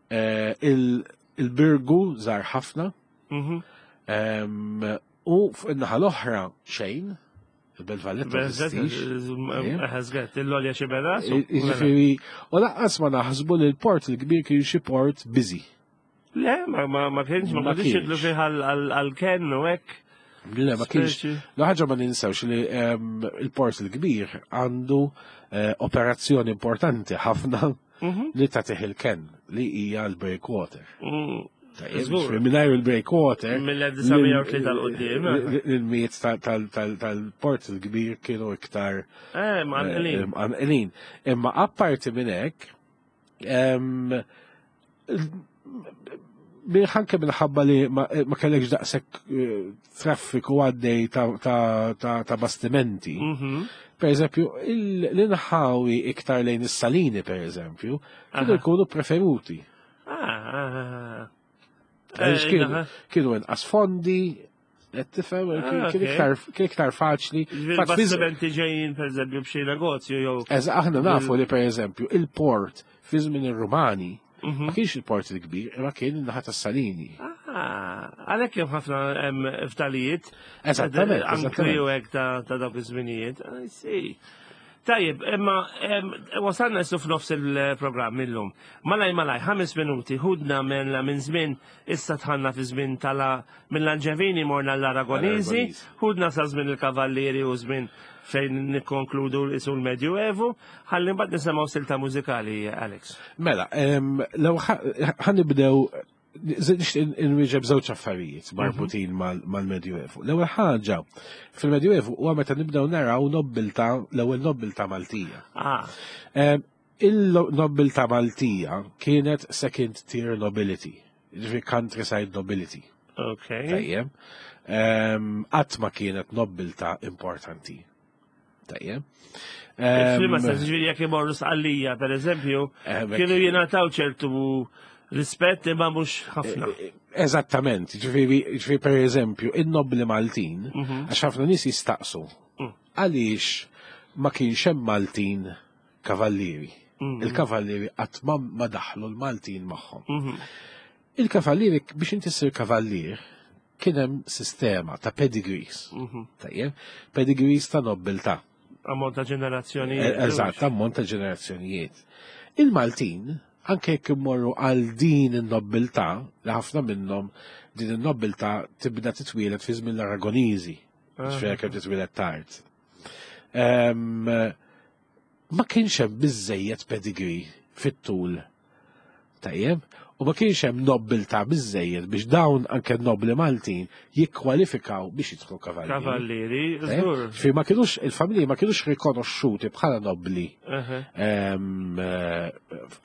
eh, il- il-Birgu żar ħafna, Mhm. ehm, u fuq in-naħa l-oħra xejn, il-Belt Valletta ma teżistix. Ħazgat, il-lolja xi beda. Jiġifieri, u lanqas ma naħsbu li l-port il-kbir kien xi port busy. Le, ma ma ma kienx, ma Ma kienx jidlu kienx. fih għal-ken u hekk. Le, ma kienx. Speċi. La ħaġa ma ninsewx li ehm, il-port il-kbir għandu eh, operazzjoni importanti ħafna Mhm. li tagħtih il-ken li hija l-breakwater. Mm. Tajjeb, Żgur. ġifieri mingħajr il-breakwater. Mill-elf disa' mija u tlieta 'l quddiem, eh. Il-miet tal-port il-kbir kienu iktar Eh, ma eh, nqlin. mqanqlin. Imma apparti minn hekk, ehm, Anke minħabba li ma ma kellekx daqshekk eh, traffiku għaddej ta' ta' ta' ta' bastimenti. Mhm. Per eżempju, il- l-inħawi iktar lejn is-salini, per eżempju, kienu Aha. jkunu preferuti. Ah, ah, ah. Għaliex Eh, kienu naħa. kienu inqas fondi, qed tifhem, Ah, kien ok. iktar kien iktar faċli. Ġifieri Fatt, fi- bastimenti ġejjin per eżempju b'xi negozju jew. Eżatt, aħna nafu li per eżempju il-port fi żmien ir-Rumani Mhm. ma kienx il-port il-kbir, imma kien in-naħa tas-Salini. Ah, għalhekk hemm ħafna hemm ftalijiet. Eżattament, Anki eżattament. u hekk ta' ta' dawk iż-żminijiet. I see. Tajjeb, imma em, wasalna issa f'nofs il-programm illum. Malaj malaj, ħames minuti, ħudna minn minn żmien issa dħalna fi żmien tala mill-Anġevini morna l-Aragoniżi, L-Aragoniżi. ħudna sa żmien il-Kavallieri u żmien fejn nikkonkludu isu l-Medjuevu, ħalli mbagħad nisimgħu silta mużikali, Alex. Mela, em, lew ħa nibdew nixtieq inwieġeb żewġ affarijiet marbutin mal- mal-Medjuevu. L-ewwel ħaġa fil-Medjuevu huwa meta nibdew naraw nobbilta l-ewwel nobbilta Maltija. Ah, Em, Il-nobbilta Maltija kienet second tier nobility, ġifieri countryside nobility. ok. Tajjeb. Em, Qatt ma kienet nobbilta importanti. Tajjeb. Em, F'liema sens, ġifieri jekk imorru Sqallija, per eżempju, Eh, bek- kienu jingħataw ċertu rispett imma mhux ħafna. Eżattament, ġifieri, ġifieri per eżempju, in-nobli Maltin, Mhm. għax ħafna nies jistaqsu, Mm. għaliex ma kienx hemm Maltin kavallieri. Mhm. Il-kavallieri qatt ma ma daħlu l-Maltin magħhom. Mhm. Il-kavallieri biex inti ssir kavallier kien hemm sistema ta' pedigrees. Mhm. Tajjeb, pedigrees ta' nobbiltà. Ammont ta' ġenerazzjonijiet. Eh, Eżatt, ammont ta' ġenerazzjonijiet. Il-Maltin, anke jekk immorru għal din in-nobbiltà, li ħafna minnhom din in-nobbiltà tibda titwielet fi żmien l-Aragoniżi, ġifieri kemm titwielet tard. Em, Ma kienx hemm biżejjed pedigree fit-tul. Tajjeb, u ma kienx hemm nobbiltà biżejjed biex dawn anke nobli Maltin jikkwalifikaw biex jidħlu kavallieri. Kavallieri, Tajjeb? żgur. Ġifieri ma kienux il-familji ma kienux rikonoxxuti bħala nobli Eħe. em, eh,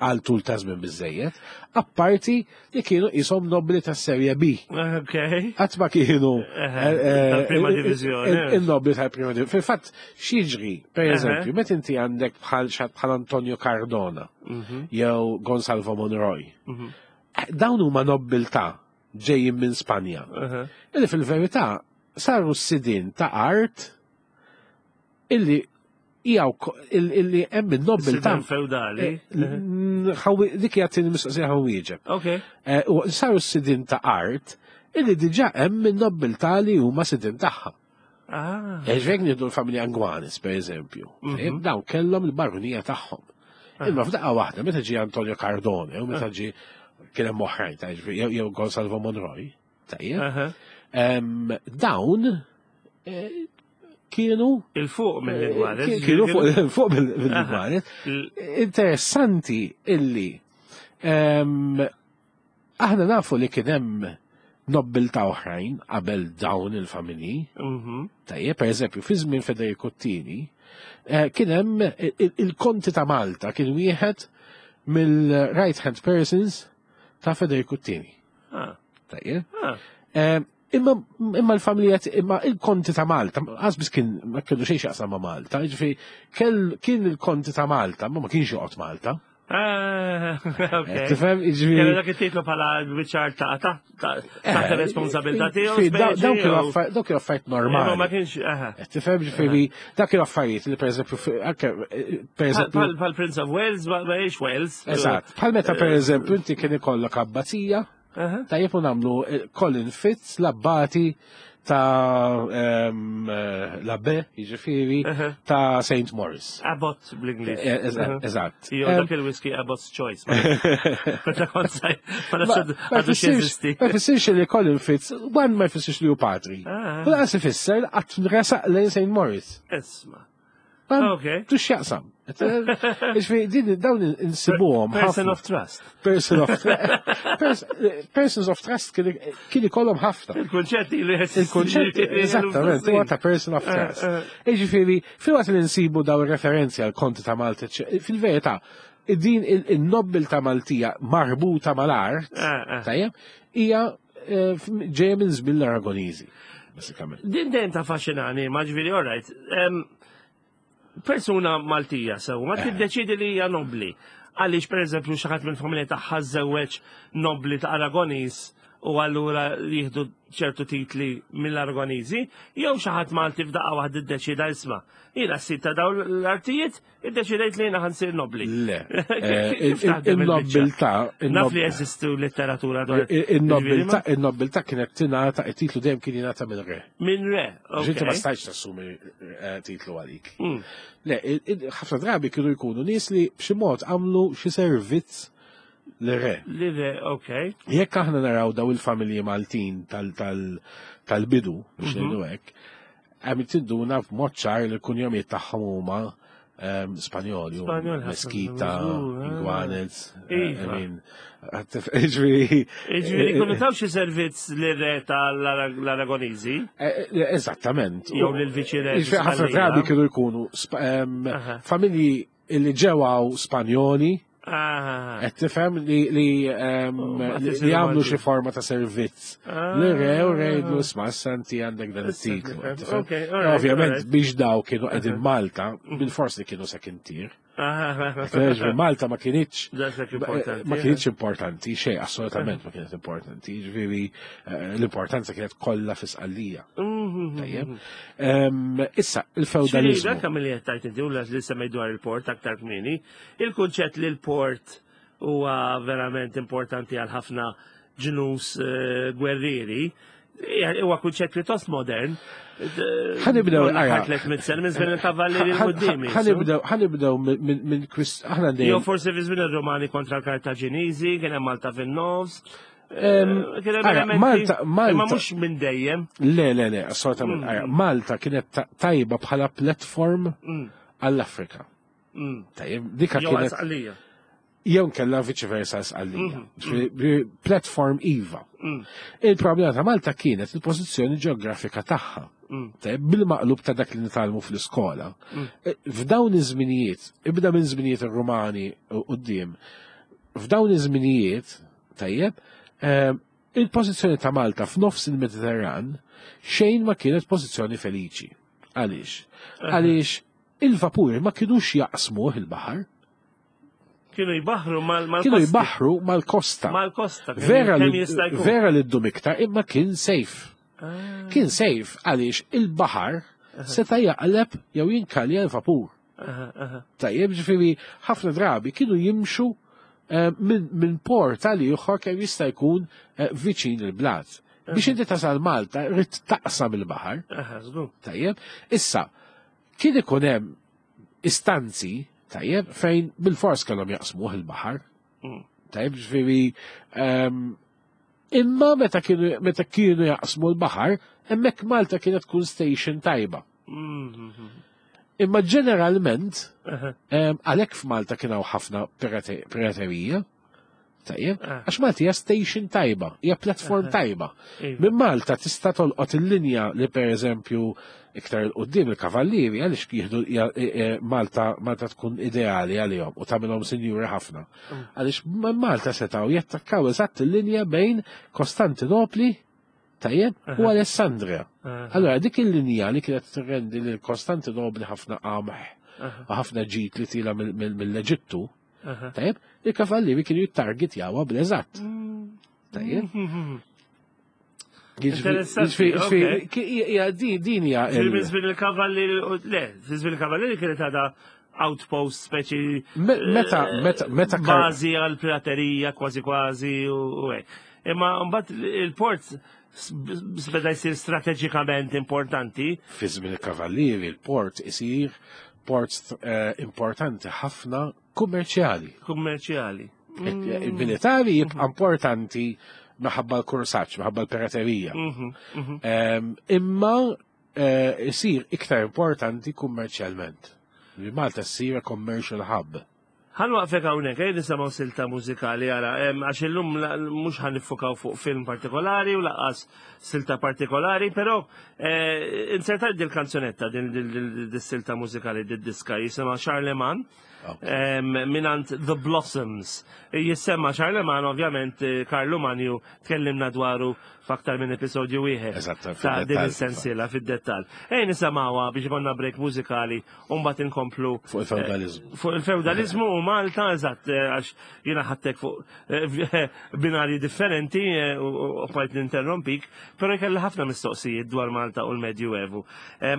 għal tul ta' żmien biżejjed, apparti li kienu qishom nobli tas serje B. Ok. Qatt ma kienu Eħe, eh, eh, tal-prima il- diviżjoni. il- Il-nobli tal-prima divizjoni. Fil-fatt, x'jiġri, per Eħe. eżempju, meta inti għandek bħal xi ħadd bħal Antonio Cardona Mhm, jew Gonsalvo Monroy. mhm, Dawn huma nobbiltà ġejjin minn Spanja. eħe. Illi fil-verità saru s-sidin ta' art illi hija wko- ill- illi hemm in-nobbiltà Sidin feudali. Eh, n- ħawi- dik hija tieni mistoqsija ħa nwieġeb. Ok. Eh, u Saru s-sidin ta' art illi diġà hemm in-nobbiltà li huma sidin tagħha. Ah. Ġvek nieħdu l-familja Angwanis, per eżempju. Mhm. Dawn kellhom il-barunija tagħhom. Imma f'daqqa waħda, meta ġie Antonio Cardone, u meta ġie kien hemm oħrajn, ta' ġifieri, jew jew Gonsalvo Monroy, tajjeb. Eħe. Em, Dawn eh, kienu Il-fuq mill-Ingwares. Eh, kienu fuq fuq mill-Ingwares. Il- Interessanti illi em, aħna nafu li kien hemm nobbilta oħrajn qabel dawn il-familji. Mhm. Tajjeb, per eżempju, fi żmien Federico Tieni, eh, kien hemm il- il- il-Konti ta' Malta kien wieħed mill-right hand persons ta' Federico Tieni. Ah. Tajjeb. Ah. Eh, Imma imma l-familja imma il-Konti ta' Malta, għazbis kien ma kellu xejn x'jaqsam ma' Malta, ġifieri kell kien il-Konti ta' Malta, ma ma kienx joqgħod Malta. Ah, ok. Eh, Tifhem, Kellu ġifieri dak it-titlu bħala biċar ta' ta' ta' taħt Eh, responsabilità tiegħu. ġifieri, daw- speċi, Dawn kienu jew- affar- dawn kienu affarijiet Imma ma normali. kienx, aha. Eh, Tifhem, ġifieri, dak kienu affarijiet li pereżempju fi- anke eh, pereżempju Bħal bħal Prince of Wales, ma ma jiex Wales. Eżatt, bħal meta per eżempju inti kien ikollok abbazija, Aha. tajjeb u nagħmlu eh, Colin Fitz l-abbati ta' ehm, eh, l-abbe, jiġifieri, Aha. ta' Saint Maurice. Abbot bl-Ingliż. Eh, eżatt, Aha. Eżatt. Jew Ehm, dak il-whisky Abbot's Choice. Meta kont saj, ma nafx Ma għadu jfissirx x'jeżisti. ma jfissirx li Colin Fitz, one ma jfissirx li hu patri. Ah. U lanqas ifisser li qatt resaq lejn Saint Maurice. Isma. Ma Ok. Tux x'jaqsam. Ġifieri, din dawn insibuhom Person ħafna. of trust. Person of trust. Persons of trust kien kien ikollhom ħafna. Il-kunċett li Il-konċett, eżattament, huwa ta' person of trust. Jiġifieri, filwaqt li nsibu daw ir-referenzi għal konti ta' Malta, ecc- fil-verità, Din il-nobbiltà Maltija marbuta mal-art, Eh, eh. tajjeb, hija eh, ġejja minn żmien l-Aragoniżi, basikament. Din dejjem taffaxxinani, ma ġifieri, all right. Em, Persuna Maltija sew, ma tiddeċidi li hija nobli. Għaliex per eżempju xi ħadd mill-familja tagħha żewweġ nobli ta' Aragoniż u allura jieħdu ċertu titli mill-Aragoniżi, jew xi ħadd Malti f'daqqa waħda iddeċida isma'. Jiena s ta' dawn l-artijiet iddeċidejt li jiena ħa nsir nobli. Le, eh, Kif taħdem il-biċċa? il-nobbiltà, Naf li jeżistu letteratura dwar il-nobbiltà, il-nobbiltà kienet tingħata, it-titlu dejjem kien jingħata minn re. Minn re, Ġinti ma ok. stajtx tassumi eh, titlu għalik. Mm. Le, il- il- ħafna drabi kienu jkunu nies li b'xi mod għamlu xi servizz li re. Li re, ok. Jekk aħna naraw daw il-familji Maltin tal- tal- tal-bidu, biex ngħidu hekk, għam tinduna b'mod ċar li l-kunjomijiet tagħhom huma ehm, Spanjoli, u Spanjol ħafna, Mesquita, żgur, ah. Inguanez, eh, I Iva. mean, ġifieri. Ġifieri, kunu taw xi servizz li re tal-Aragoniżi, Eh, eh, Eżattament. jew lil viċi re. Ġifieri ħafna drabi kienu jkunu sp- ehm, Aha. familji li ġewaw Spanjoli, Ah, qed tifhem li li ehm, Oh, ma li tisiru li għamlu Malti. xi forma ta' servizz. Ah. Li re u rejdlu isma' santi għandek dan Issa it-titlu. nifhem. qed tifhem? Ok, all right, Ovvjament all right. biex daw kienu qegħdin Malta, bil-fors li kienu second tier. ah, Ġifieri Malta ma kienitx Daqshekk importanti. ma kienitx importanti, xejn, assolutament ma kienet importanti. Ġifieri eh, l-importanza kienet kollha fi Sqallija. Mhm. Tajjeb. Ehm, Issa, Xiri, il-feudalizmu. dak li qed tajt inti u li semmej dwar il-port aktar kmieni, il-kunċett li l-port huwa verament importanti għal ħafna ġnus eh, gwerrieri, hija- huwa kunċett pjuttost modern. Ħa nibdew, ara. Ħatlet mit-sen minn żmien il-kavallieri l-quddiem. Ħa nibdew, ħa nibdew minn minn kwist, aħna Jew dejjem. forsi fi żmien ir-Romani kontra l-Kartaġiniżi, kien hemm Malta fin-nofs. Em, Eh, Kien hemm ara, elementi- Malta- Malta- Imma mhux minn dejjem. Le, le, le, assolutament. Mm. Ara, Malta kienet ta- tajba bħala platform Mm, għall-Afrika. mm. Tajjeb, dika Jew kienet għal-Sqallija. jew kella viċi versa Sqallija. Mhm, Ġifieri, Platform IVA. Mm, Il-problema ta' Malta kienet il-pożizzjoni ġeografika tagħha. mm, Tajjeb, bil-maqlub ta' dak li nitgħallmu fl-iskola. Mm. Eh, F'dawn iż-żminijiet, ibda minn żminijiet ir-Rumani u quddiem, f'dawn iż-żminijiet, tajjeb, eh, il-pożizzjoni ta' Malta f'nofs il-Mediterran xejn ma kienet pożizzjoni feliċi. Għaliex? Għaliex il-vapuri ma kinux jaqsmuh il-baħar, Kienu jbaħru mal mal kienu jbaħru mal-kosta. Mal-kosta. kemm- Vera kemm li, jista' jkun. vera li ddum iktar, imma kien safe. Ah, Kien safe għaliex il-baħar seta' jaqleb jew jinkalja l-vapur. aha, aha. Tajjeb, ġifieri ħafna drabi kienu jimxu eh, minn min port għal ieħor kemm jista' jkun eh, viċin il-blat. Biex inti tasal Malta, rrid taqsam il-baħar, Aha, żgur. tajjeb. Issa, kien ikun hemm istanzi, tajjeb, fejn bil-fors kellhom jaqsmuh il-baħar. Mm. Tajjeb, ġifieri ehm, imma meta kienu meta kienu jaqsmu l-baħar, hemmhekk Malta kienet tkun station tajba. Mhm. Imma ġeneralment, Aha, Em, Għalhekk f'Malta kien hawn ħafna pirate- piraterija. Tajjeb, Ah. għax Malta hija station tajba, hija platform tajba. Iva. Minn Malta tista' tolqot il-linja li pereżempju iktar il qudiem il-kavallieri għaliex jieħdu ja- e- e, Malta Malta tkun ideali għalihom u tagħmilhom sinjuri ħafna. Mm. Għaliex minn Malta setgħu jattakkaw eżatt il-linja bejn Kostantinopli tajjeb u Aha. Alessandria. aha, Allora dik il-linja li kienet tirrendi lil Kostantinopli ħafna qamħ aha, u ħafna ġid li tila mill- mill- mill-Eġittu, aha. tajjeb, il-kavallieri kienu jittargetjawha bl-eżatt. Tajjeb. Mhm. Jiġifieri- Interessanti, jiġifieri- ok. jiġifieri, ki- hija di- Din hija Ġifieri il- minn żmien il-kavallieri, le, fi żmien il-kavallieri kienet għadha outpost speċi Me- meta meta meta kar- bażi għal piraterija kważi kważi u u hekk. Imma mbagħad il-port s- beda jsir strateġikament importanti. fi żmien il-kavallieri il-port isir port eh, importanti ħafna kummerċjali. kummerċjali. Il-militari jibqa' importanti minħabba l-kursaċ, minħabba l-piraterija. Mhm, mhm. Em, Imma eh, isir iktar importanti kummerċjalment. Li Malta ssir a commercial hub. Ħa nwaqfek hawnhekk, ejja nisimgħu silta mużikali ara, em, għax illum la- mhux ħa niffukaw fuq film partikolari u lanqas silta partikolari, però eh, insertajt dil kanzunetta din dil silta mużikali dil diska jisimha Charlemagne. Mingħand The Blossoms. Jissemma Charlemagne, ovvjament, Karlu Manju tkellimna dwaru f'aktar minn episodju wieħed. Ta' din is-sensiela fid-dettall. Ejja nisimgħuha biex ikollna break mużikali u mbagħad inkomplu fuq il-feudalizmu. Fuq il-feudalizmu u Malta, eżatt, għax jiena ħadtek fuq binarji differenti u bqajt ninterrompik, però jkelli ħafna mistoqsijiet dwar Malta u l-Medjuevu.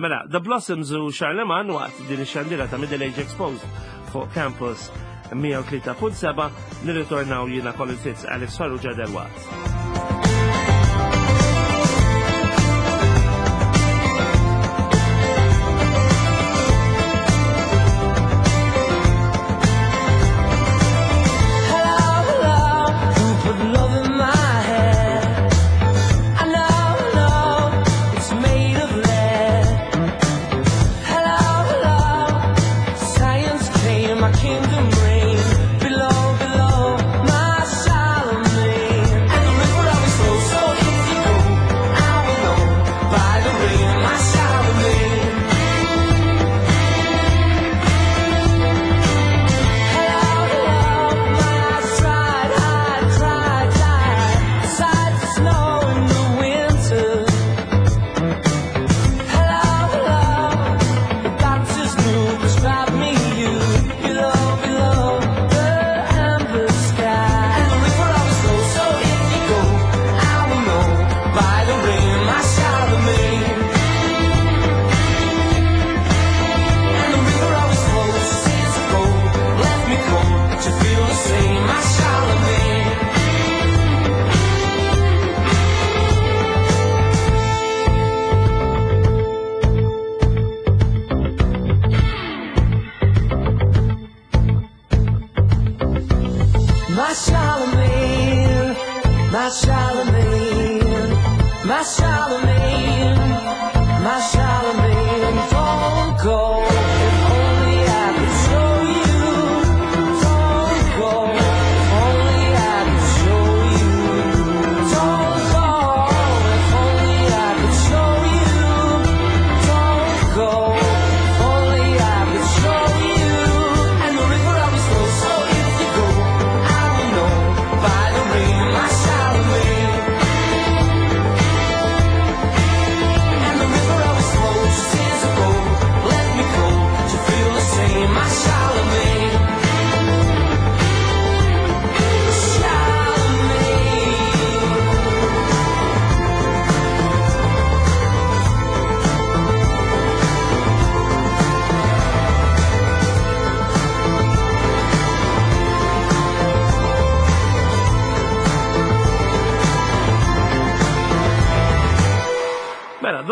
Mela, The Blossoms u Charlemagne waqt din ix-xandira ta' Middle Age Exposed fuq Campus mija u tlieta punt seba' nirritornaw jiena Colin Fitz, Alex Farrugia delwaqt.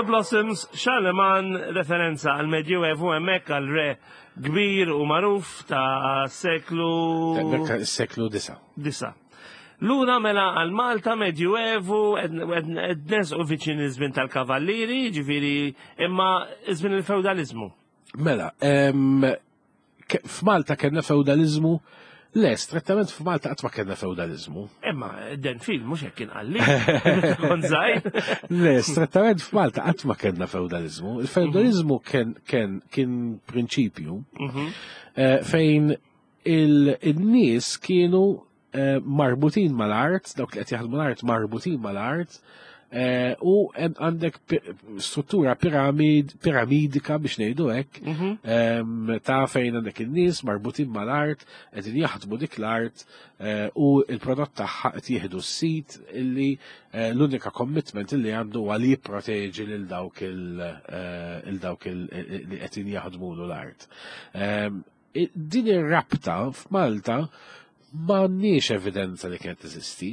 Blossoms, Charlemagne, referenza għal Medjuevu hemmhekk għal re kbir u magħruf ta' seklu seklu disa. Disa. Lura mela għal Malta Medjuevu qed nersqu viċin iż-żmien tal-kavallieri, ġifieri imma iż-żmien il-feudalizmu. Mela, f'Malta kellna feudalizmu. Le, strettament f'Malta qatt ma kellna feudalizmu. Imma den film mhux hekk kien qalli. Kont żgħir. Le, strettament f'Malta qatt ma kellna feudalizmu. Il-feudalizmu kien kien kien prinċipju fejn il-nies kienu marbutin mal-art, dawk li qed jaħdmu l-art marbutin mal-art, u għandek struttura piramid, piramidika biex ngħidu hekk, ta' fejn għandek in-nies marbutin mal-art, qegħdin jaħdmu dik l-art u l-prodott tagħha qed jieħdu s-sit illi l-unika commitment illi għandu huwa li jipproteġi lil dawk il dawk li qegħdin jaħdmulu l-art. Din ir-rabta f'Malta m'għandniex evidenza li kienet teżisti.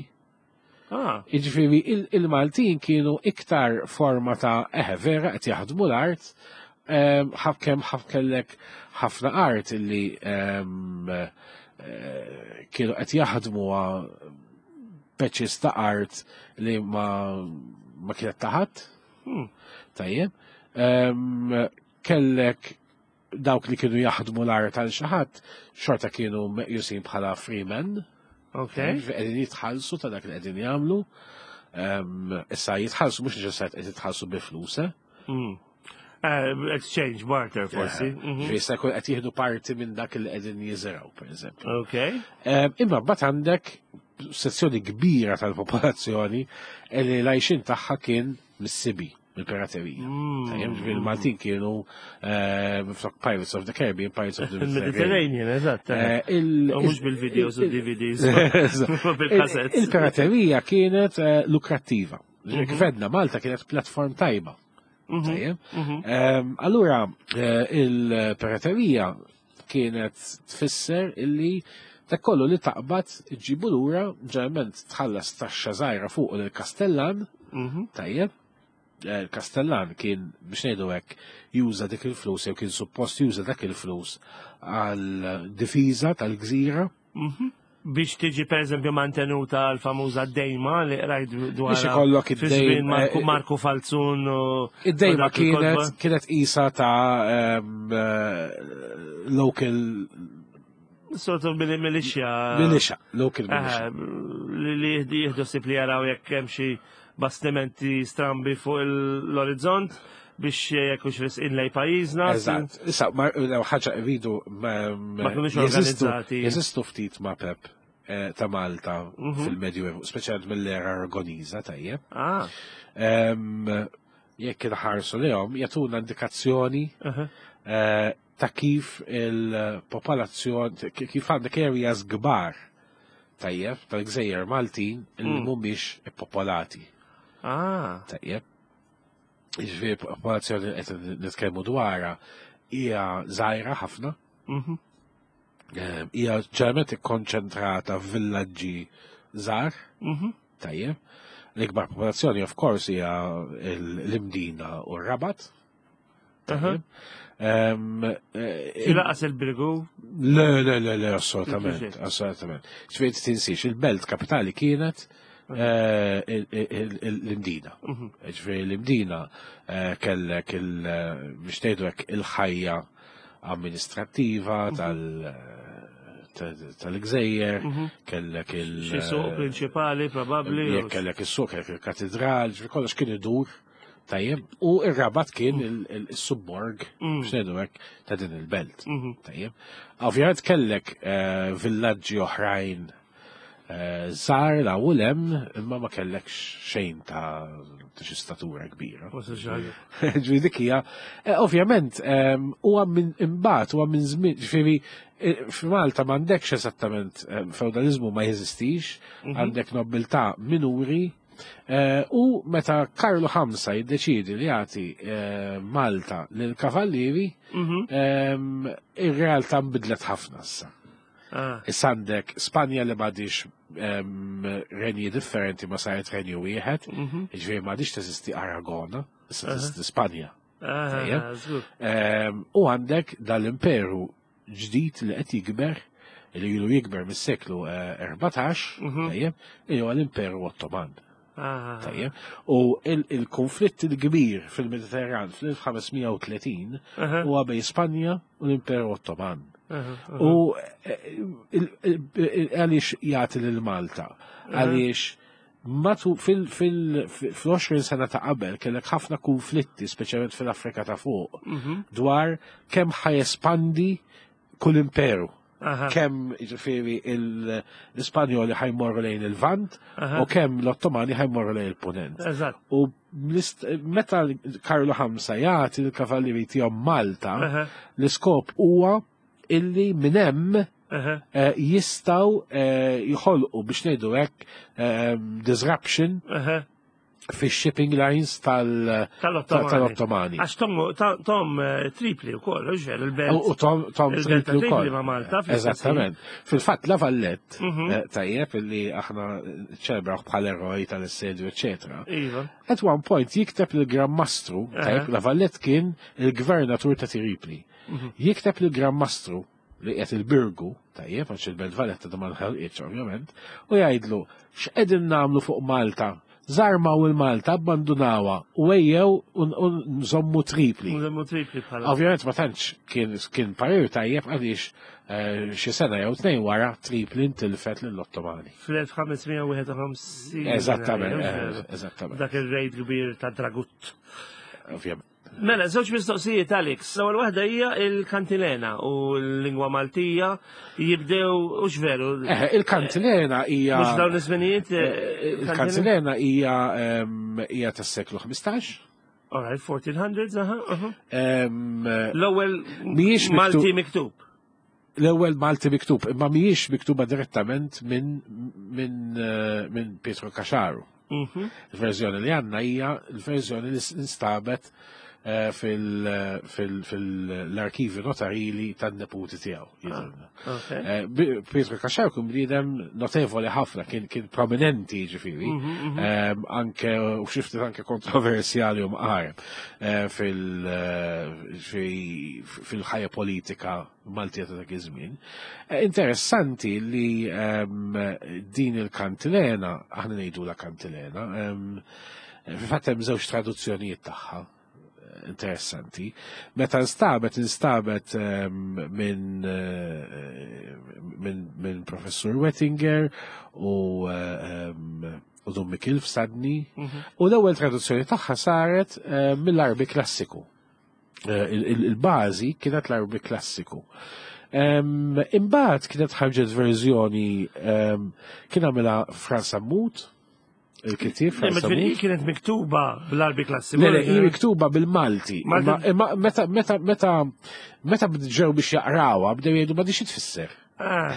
Jiġifieri il-Maltin kienu iktar forma ta' eħe vera qed jaħdmu l-art, kemm kellek ħafna art illi kienu qed jaħdmu patches ta' art li ma ma kienet taħat. Tajjeb. Kellek dawk li kienu jaħdmu l-art għal xi ħadd xorta kienu meqjusin bħala freemen. Okay. Qegħdin jitħallsu ta' dak li qegħdin jagħmlu. Issa jitħallsu mhux neċessarjament qed jitħallsu bi flus. Eh, exchange, barter, forsi. Mhm. Ġifieri jista' jkun qed jieħdu parti minn dak li qegħdin jiżirgħu, pereżempju. Ok. Imma mbagħad għandek sezzjoni kbira tal-popolazzjoni li l-għajxin tagħha kien mis-sibi, mill-piraterija. Mm. Tajjeb, ġifieri il-Maltin kienu eh, flok Pirates of the Caribbean, Pirates of the Mediterranean. Il-Mediterranean, eżatt. Eh, il- U mhux bil-videos u D V Ds. Bil-cassettes. Il-piraterija kienet eh, lukrattiva. Ġifieri kif għedna, Malta kienet platform tajba. Mhm. Tajjeb. Mhm. Ehm, Allura, eh, il-piraterija kienet tfisser illi dak kollu li taqbad iġibu lura, ġeneralment tħallas taxxa żgħira fuq il-Kastellan, Mhm. tajjeb. Eh, Il-Kastellan kien, biex ngħidu hekk, juża dik il-flus jew kien suppost juża dak il-flus għal difiża tal-gżira. Mhm. Biex tiġi per eżempju mantenuta l-famuża dejma li rajt dwar. Biex ikollok fi id-dejm, żmien Marku, eh, Marku Falzun u Id-dejma u dak il-kotba. kienet kienet isa ta' ehm, eh, local Sort of militia. militia, local militia. Eh, li li jieħdu ħsieb li jaraw jekk hemm xi bastimenti strambi fuq l-orizzont biex jekk hux resqin lejn pajjiżna. Eżatt. Issa, ma law ħaġa rridu ma Ma kinux jeżistu organizzati. jeżistu ftit mapep eh, ta' Malta Mhm. fil-Medju, speċjalment mill-era Aragoniża, tajjeb. Ah, Em, Jekk inħarsu lejhom jagħtuna indikazzjoni aha. eh, ta' kif il-popolazzjoni, kif għandek areas kbar tajjeb tal-gżejjer Maltin li Mm. mhumiex ippopolati. Ah, Tajjeb. Ġifieri popolazzjoni li qed nitkellmu dwarha hija żgħira ħafna, mhm. eh, hija ġeneralment ikkonċentrata f'villaġġi żgħar, Mhm. tajjeb. L-ikbar popolazzjoni of course hija l-Imdina u r-Rabat. Tajjeb. Em, eh, Xi laqas il-Birgu. Le, le, le, le, assolutament, Kif assolutament. Ġifieri tinsiex, il-belt kapitali kienet eh, il- il- il- l-Imdina. Mhm. Ġifieri l-Imdina eh, kellek il- eh, biex tgħidu hekk il-ħajja amministrattiva tal- ta- tal-gżejjer, Mhm. kellek il- Xi suq prinċipali probabbli. Jekk kellek is-suq, kellek il-katedral, ġifieri kollox kien idur, tajjeb, u ir-Rabat kien il- il- il-subborg, Mm. biex ngħidu hekk, ta' din il-belt. Mhm. Tajjeb. Ovvjament kellek eh, villaġġi oħrajn eh, żgħar la u lem, imma ma kellekx xejn ta' ta' xi statura kbira. Forsi xi ħaġa. Ġifieri dik hija, eh, ovvjament, ehm, huwa minn imbagħad huwa minn żmien, ġifieri eh, f'Malta m'għandekx eżattament eh, feudalizmu ma jeżistix, Mhm. għandek nobiltà minuri, eh, u meta Karlu Ħamsa jiddeċidi li jagħti eh, Malta lil kavallieri, Mhm. ehm, ir-realtà nbidlet ħafna issa. Ah, Issa għandek Spanja li m'għadix ehm, renji differenti ma saret renju wieħed, mhm. ġifieri m'għadix teżisti Aragona, issa Aha. teżisti Spanja. Ah, Tajjeb. żgur. Ehm, U għandek dal-imperu ġdid li qed jikber, li ilu jikber mis-seklu eh, erbatax, Mhm. tajjeb, li huwa l-Imperu Ottoman. Ah, Tajjeb. U il- il-konflitt il-kbir fil-Mediterran fl-elf ħames mija u tletin aha, huwa bejn Spanja u l-Imperu Ottoman. aha, aha. U eh, il- il- il- għaliex jagħti lil Malta? Għaliex matu fil-għoxrin sena ta' qabel kellek ħafna konflitti, speċjalment fil-Afrika ta' fuq, Mhm. dwar kemm ħa jespandi kull imperu. Aha, Kemm ġifieri il- l-Ispanjoli ħa jmorru lejn il-Lvant aha. u kemm l-Ottomani ħa jmorru lejn il-Punent. Eżatt. U l-ist- meta Karlu Ħamsa jagħti l-kavallieri tiegħu Malta, Aha, l-iskop huwa illi minn hemm aha. eh, jistgħu eh, jħolqu biex ngħidu hekk eh, disruption Aha. fix-shipping lines tal- Tal-Ottomani. tal-Ottomani. Għax Tom, ta- Tom eh, Tripli u koll, ġer, il-belt. U Tom, Tom Il-belt ta' Tripli Tripli wkoll. ma' Malta fl-istess Eżattament. Fil-fatt La Vallette, Mhm. eh, tajjeb illi aħna ċelebraw bħal eroj tal-assedju, eccetera. Iva. At one point jikteb lil-Gran Mastru, tajjeb, Aha. La Vallette kien il-gvernatur ta' Tripli. Mhm. Jikteb lil-Gran Mastru li qed il-Birgu, tajjeb, għax il-Belt Valletta da ma nħelqitx ovvjament, u jgħidlu x'qegħdin nagħmlu fuq Malta? Żarmaw il-Malta, abbandunawha u ejjew u u nżommu Tripli. Nżommu Tripli bħala. Ovvjament ma tantx kien kien parir tajjeb għaliex eh, xi sena jew tnejn wara Tripli ntilfet lill-Ottomani. Fl-elf ħames mija u wieħed u ħamsin. Eżattament, eh, eh, eżattament. Dak il-raid kbir ta' Dragut. Ovvjament. Mela, żewġ mistoqsijiet, Alex. L-ewwel waħda hija il-kantilena u l-lingwa Maltija jibdew u veru. Eh, il-kantilena hija. Mhux dawn iż-żminijiet. eh, Il-kantilena hija em, hija tas-seklu ħmistax. All right, fourteen hundreds, aha, aha. Em, L-ewwel Mhijiex Malti miktub. L-ewwel Malti miktub, imma mhijiex miktuba direttament minn minn eh, minn Pietro Caxaro. Mhm. Il-verżjoni li għandna hija l-verżjoni li instabet eh, fil-arkivi notarili tan-neputi tiegħu, jidhirna. Okay. Eh, bi- Pietro Caxaro kien bniedem notevoli ħafna, kien kien prominenti ġifieri, Em, anke u xi ftit anke kontroversjali u mqareb eh, fil- eh, fi- fil-ħajja politika Maltija ta' dak iż-żmien. Eh, Interessanti li em, din il-kantilena, aħna ngħidu la kantilena, em, fil-fatt hemm żewġ traduzzjonijiet tagħha interessanti. Meta instabet, instabet em, minn eh, minn min professur Wettinger u eh, em, u Dun Mikil Fsadni. U l-ewwel traduzzjoni tagħha saret eh, mill-Arbi klassiku. Eh, il- il- Il-bażi kienet l-Arbi klassiku. Em, Imbagħad kienet ħarġet verżjoni em, kien għamilha Frans Sammut, il-kittieb Le, Frans ma ġifieri Sammut. kienet miktuba bl-Arbi klassiku. Le, le, hi miktuba bil-Malti. Malti. Imma imma meta meta meta meta ġew biex jaqrawha bdew jgħidu ma dix tfisser. Ah,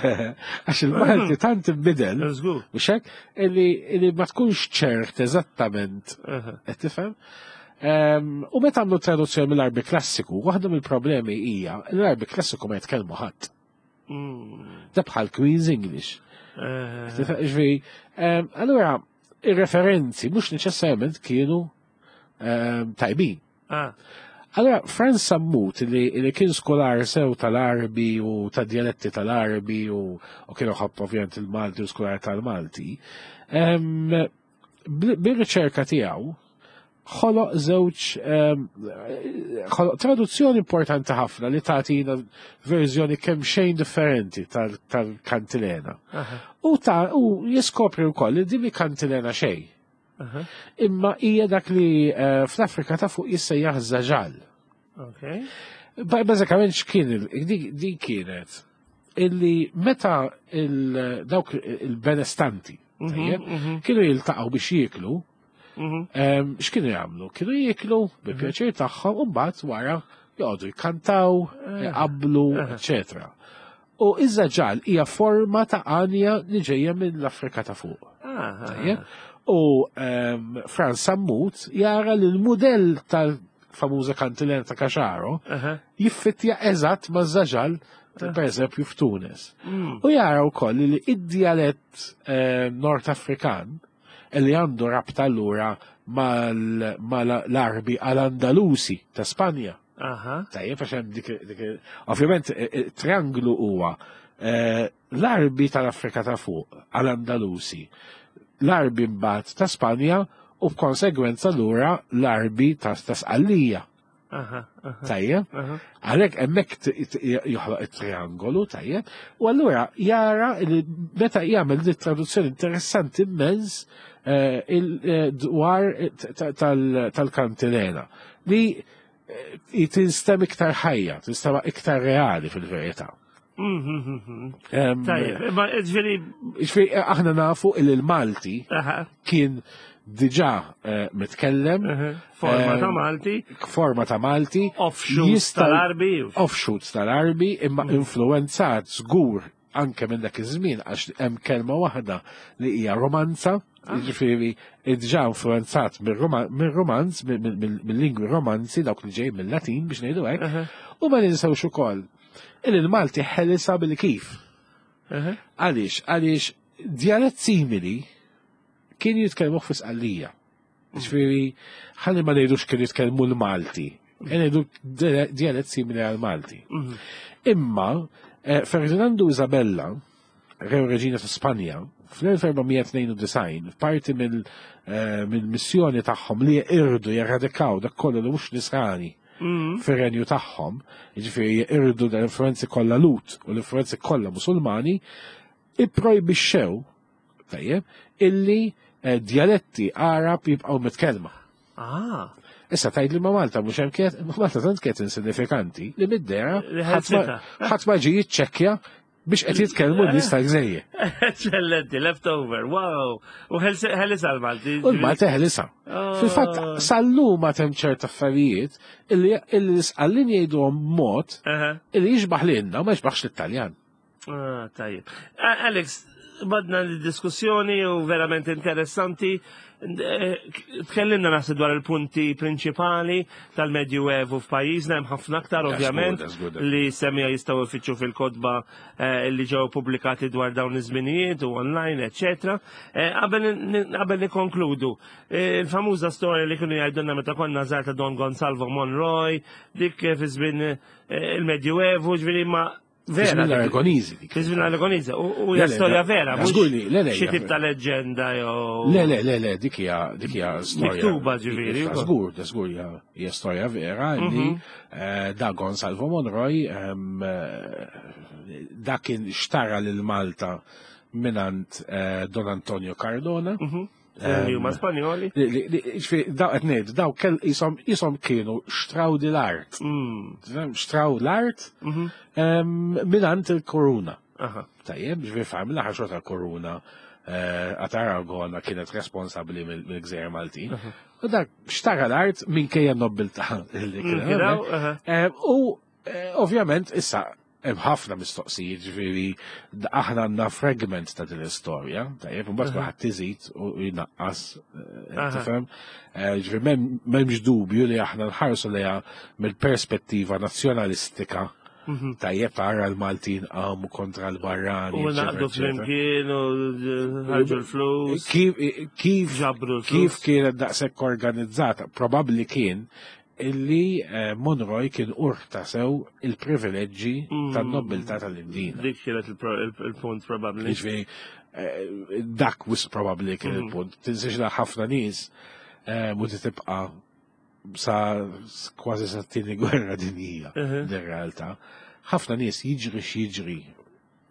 Għax il-Malti tant inbidel, Żgur. mhux hekk, illi illi ma tkunx ċert eżattament Aha. qed tifhem. Em, U meta għamlu traduzzjoni mill-Arbi klassiku, waħda mill-problemi hija l-Arbi klassiku ma jitkellmu ħadd. Mm. Da bħal Queen's English. Eh, Tifhem, ġifieri, em, allura ir-referenzi mhux neċessarjament kienu em, tajbin. ah, Allora, Frans Sammut, li, li kien skolar sew tal-Arbi u ta' dialetti tal-Arbi u, u kienu ħabb ovvjament il-Malti u skolar tal-Malti, em, bil- bil-riċerka tiegħu ħoloq żewġ em, ħoloq traduzzjoni importanti ħafna li tagħtina verżjoni kemm xejn differenti tal- tal-kantilena. aha, U ta' u jiskopri wkoll li din mi kantilena xejn. aha. Imma hija dak li eh, fl-Afrika ta' fuq jissejjaħ żaġal. Okay. Ba- Bażikament x'kien il- di di kienet illi meta il dawk il-benestanti tajjeb, mhm. kienu jiltaqgħu biex jieklu, Mhm. em, x'kienu jagħmlu? Kienu jieklu bi pjaċir tagħhom u mbagħad wara joqogħdu jkantaw, jqablu, eċetera. U iż-żaġal hija forma ta' għanja li ġejja mill-Afrika ta' fuq. Ah, ah, Tajjeb? U um, Frans Sammut jara li l-modell tal-famuża kantilena ta' Caxaro aha. jiffittja eżatt ma' żaġal per eżempju f'Tunis. Mm. U jara wkoll li id-dialett eh, Nord Afrikan li għandu rabta allura mal-Arbi għal-Andalusi ta' Spanja. Aha. Tajjeb, għax hemm dik, dik ovvjament eh, eh, trianglu huwa eh, l-Arbi tal-Afrika ta' fuq għal-Andalusi, l-Arbi mbagħad ta' Spanja u b'konsegwenza lura l-Arbi ta' ta' Sqallija. Aha. Aha. Tajjeb, Aha. għalhekk hemmhekk t- t- joħloq it-triangolu, tajjeb, u allura jara li meta jagħmel di traduzzjoni interessanti immens eh, il- eh, dwar eh, ta- tal- tal-kantilena li eh, tinstem iktar ħajja, tinstema iktar reali fil-verità. Mhm, mhm. Em, Tajjeb, imma ġifieri, Ġifieri, aħna nafu il il-Malti aha, kien diġà eh, mitkellem aha. Forma ta' Em, Malti, forma ta' Malti, offshoots jista' tal-Arbi. offshoots tal-Arbi imma influenzat żgur anke minn dak iż-żmien għax hemm kelma waħda li hija romanza, jiġifieri diġà influenzat mir-romanz, mill-lingwi romanzi dawk li ġej mill-Latin biex ngħidu hekk, Aha. u ma ninsewx ukoll il il-Malti ħelisa bil-kif. Aha. Għaliex, għaliex djalett simili kien jitkellmu fi Sqallija. Ġifieri, ħalli ma ngħidux kien jitkellmu l-Malti, ngħidu djalett simili għal-Malti. Mhm. Imma eh, Ferdinando Isabella, re u reġina ta' Spanja, fl-elf erba' mija tnejn u disgħin, parti mill- eh, mill-missjoni tagħhom li jirdu jerradikaw dak kollu li mhux nisrani Mhm. fir-renju tagħhom, jiġifieri jirdu l-influenzi kollha Lut u l-influenzi kollha Musulmani, ipprojbixxew tajjeb illi eh, djaletti Arab jibqgħu mitkellma. Ah, Issa tgħid li ma Malta mhux hemm kienet, ma Malta tant kienet insignifikanti li mid-dehra Li ħadd ma- ħelsitha. ħadd ma ġie jiċċekkja biex qed jitkellmu n-nies tal-gżejjer. Eccellenti, leftover, wow. U ħelisa l-Malti. U l-Malta ħelisa. Oh. Fil-fatt, sal-lum ma hemm ċert affarijiet illi illi l-Isqallin jgħiduhom mod Aha. illi jixbaħ lilna u ma jixbaħx l-Italjan. Ah, tajjeb. Ah, Alex, badna l-diskussjoni u verament interessanti. Eh, Tkellimna naħseb dwar il-punti prinċipali tal-Medjuevu f'pajjiżna, hemm ħafna aktar That's ovvjament good, that's good. li semija jistgħu jfittxu fil-kotba eh, li ġew pubblikati dwar dawn iż-żminijiet u online, eċetera. Eh, Qabel qabel nikkonkludu, eh, il-famuża storja li kienu jgħidulna meta konna żgħar ta' Don Gonsalvo Monroy, dik fi żmien eh, il-Medjuevu, ġifieri ma vera. Fi żmien l-Aragoniżi dik. Fi żmien l-Aragoniżi. U u Le, hija le, storja le, vera, mhux żgur li- le, le, xi hija tip ta' leġġenda jew. Le, le, le, le, dik hija dik hija storja. Miktuba ġifieri, Dik- ukoll. Żgur, da żgur hija hija storja vera li Mhm. eh, da Gonsalvo Monroy em, eh, da kien xtara lil Malta minant eh, Don Antonio Cardona. Mhm. Li huma Spanjoli. Li- li- li- ġifieri, Daw qed ngħid, daw kell jisom jisom kienu xtraw di l-art. Mm. Tifhem? Xtraw l-art Mhm. em, minant il-koruna. Aha. Tajjeb, ġifieri fam, l-aħħar xorta l-koruna eh, għat Aragona kienet responsabli mill- mill-gżejjer Maltin. U dak xtara l-art minkejja n-nobbiltà li kien Mm, Kien hawn, hemmhekk. aha. Eh, U eh, ovvjament issa hemm ħafna mistoqsijiet, ġifieri d- aħna għandna fragment ta' din l-istorja, tajjeb, imbagħad kulħadd iżid u jnaqqas, eh, Aha. tifhem? Eh, Ġifieri m'hemm- m'hemmx dubju li aħna nħarsu lejha mill-perspettiva nazzjonalistika. Mhm. Tajjeb tara l-Maltin qamu kontra l-barrani. U eċetera, naqdu eċetera. flimkien u ħarġu l-flus. Kif kif Ġabru l-flus. kif kienet daqshekk organizzata? Probabbli kien illi eh, Monroy kien urta sew il-privileġġi Mm. tan-nobiltà tal-Imdina. Dik kienet il-pro- il- il-punt probabbli. Jiġifieri, eh, dak wis probabbli kien Mm. il-punt. Tinsiex li ħafna nies eh, mu tibqa' sa kważi sa tieni gwerra dinjija Mhm. din realtà. Ħafna nies jiġri x'jiġri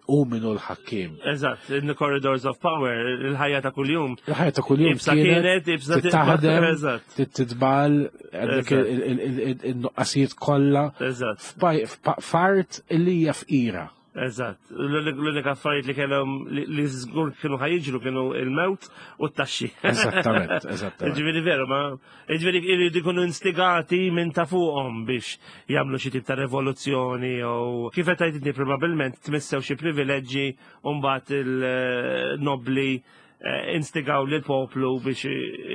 u minnu l-ħakkim. Eżatt, in the corridors of power, il-ħajja ta' kuljum. Il-ħajja ta' kuljum Ibsa kienet, ibsa titaħdem, Eżatt, titbal, għandek Eżatt. il- il- il- il- il-nuqqasijiet kollha eżatt, f'paj- f'pa- f'art illi hija fqira. eżatt. L-unika affarijiet li kellhom li li żgur kienu ħajġru kienu il-mewt u t-taxxi. Eżattament, eżattament. Ġifieri veru, ma ġifieri iridu jkunu instigati minn ta' fuqhom biex jagħmlu xi tip ta' rivoluzzjoni jew kif qed tgħid probabbilment tmissew xi privileġġi u mbagħad il-nobli eh, instigaw lil poplu biex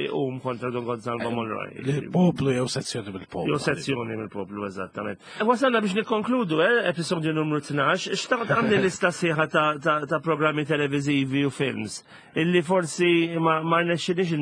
iqum kontra Don Gonzalo Monroy. Il-poplu jew sezzjoni mill-poplu. Jew sezzjoni mill-poplu, eżattament. Wasalna biex nikkonkludu, eh, episodju numru tnax, xtaqt għandi lista sħiħa ta', ta, ta' programmi televizivi u films, illi forsi ma, ma rnexxinix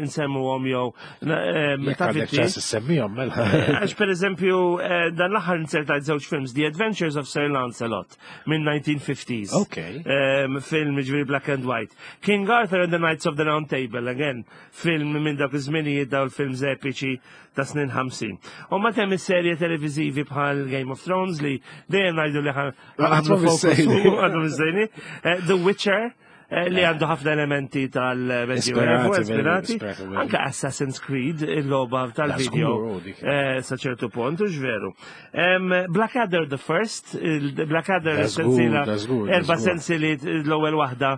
insemmuhom jew eh, Jekk ta' għandek fitti. ċans issemmihom mela. Għax per eżempju, eh, dan l-aħħar insertajt żewġ films, The Adventures of Sir Lancelot minn nineteen fifties. Ok. Um, film ġifieri black and white. King Arthur and the Knights of the Round Table, again, film minn dak iż-żminijiet, daw il-films epiċi ta' snin ħamsin. U ma temm is-serje televizivi bħal Game of Thrones li dejjem ngħidu li ħa- Għadhom missejni. Għadhom missejni. Eh, The Witcher, eh, li għandu ħafna elementi tal-Medjuevu, Ispirati, ispirati. ispirati, Anka Assassin's Creed, il-logħba tal-video, Żgur, oh, dik. eh, sa ċertu punt, u veru. Em, Blackadder the First, il- Blackadder Da żgur, sensiela, da żgur, da erba żgur. sensiliet, l-ewwel waħda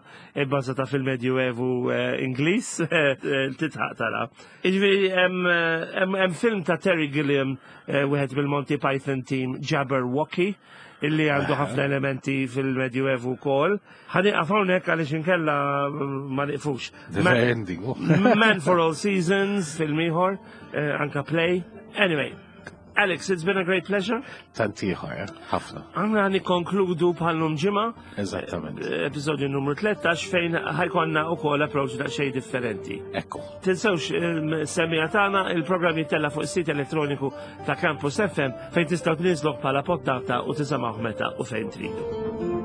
bbażata fil-Medjuevu eh, Ingliż, eh, titħaq tara. Jiġifieri hemm hemm- hemm film ta' Terry Gilliam, eh, wieħed mill-Monty Python team, Jabberwocky, illi għandu ħafna elementi fil-Medjuevu wkoll. Ħa nieqaf hawnhekk għaliex inkella mm, ma niqfux. The Ma- very ending. oh. Man for All Seasons, film ieħor, eh, anka play. Anyway, Alex, it's been a great pleasure. Tant ieħor, eh? Ħafna. Għanna nikkonkludu bħallum ġimgħa, Eżattament. eh, episodju numru tlettax fejn ħa jkollna ukoll approach daqsxejn differenti. Ekku. Tinsewx il-semmiegħa tagħna, il-programm jittella fuq is-sit elettroniku ta' Campus F M fejn tistgħu tniżluh bħala pottata u tisimgħuh meta u fejn tridu.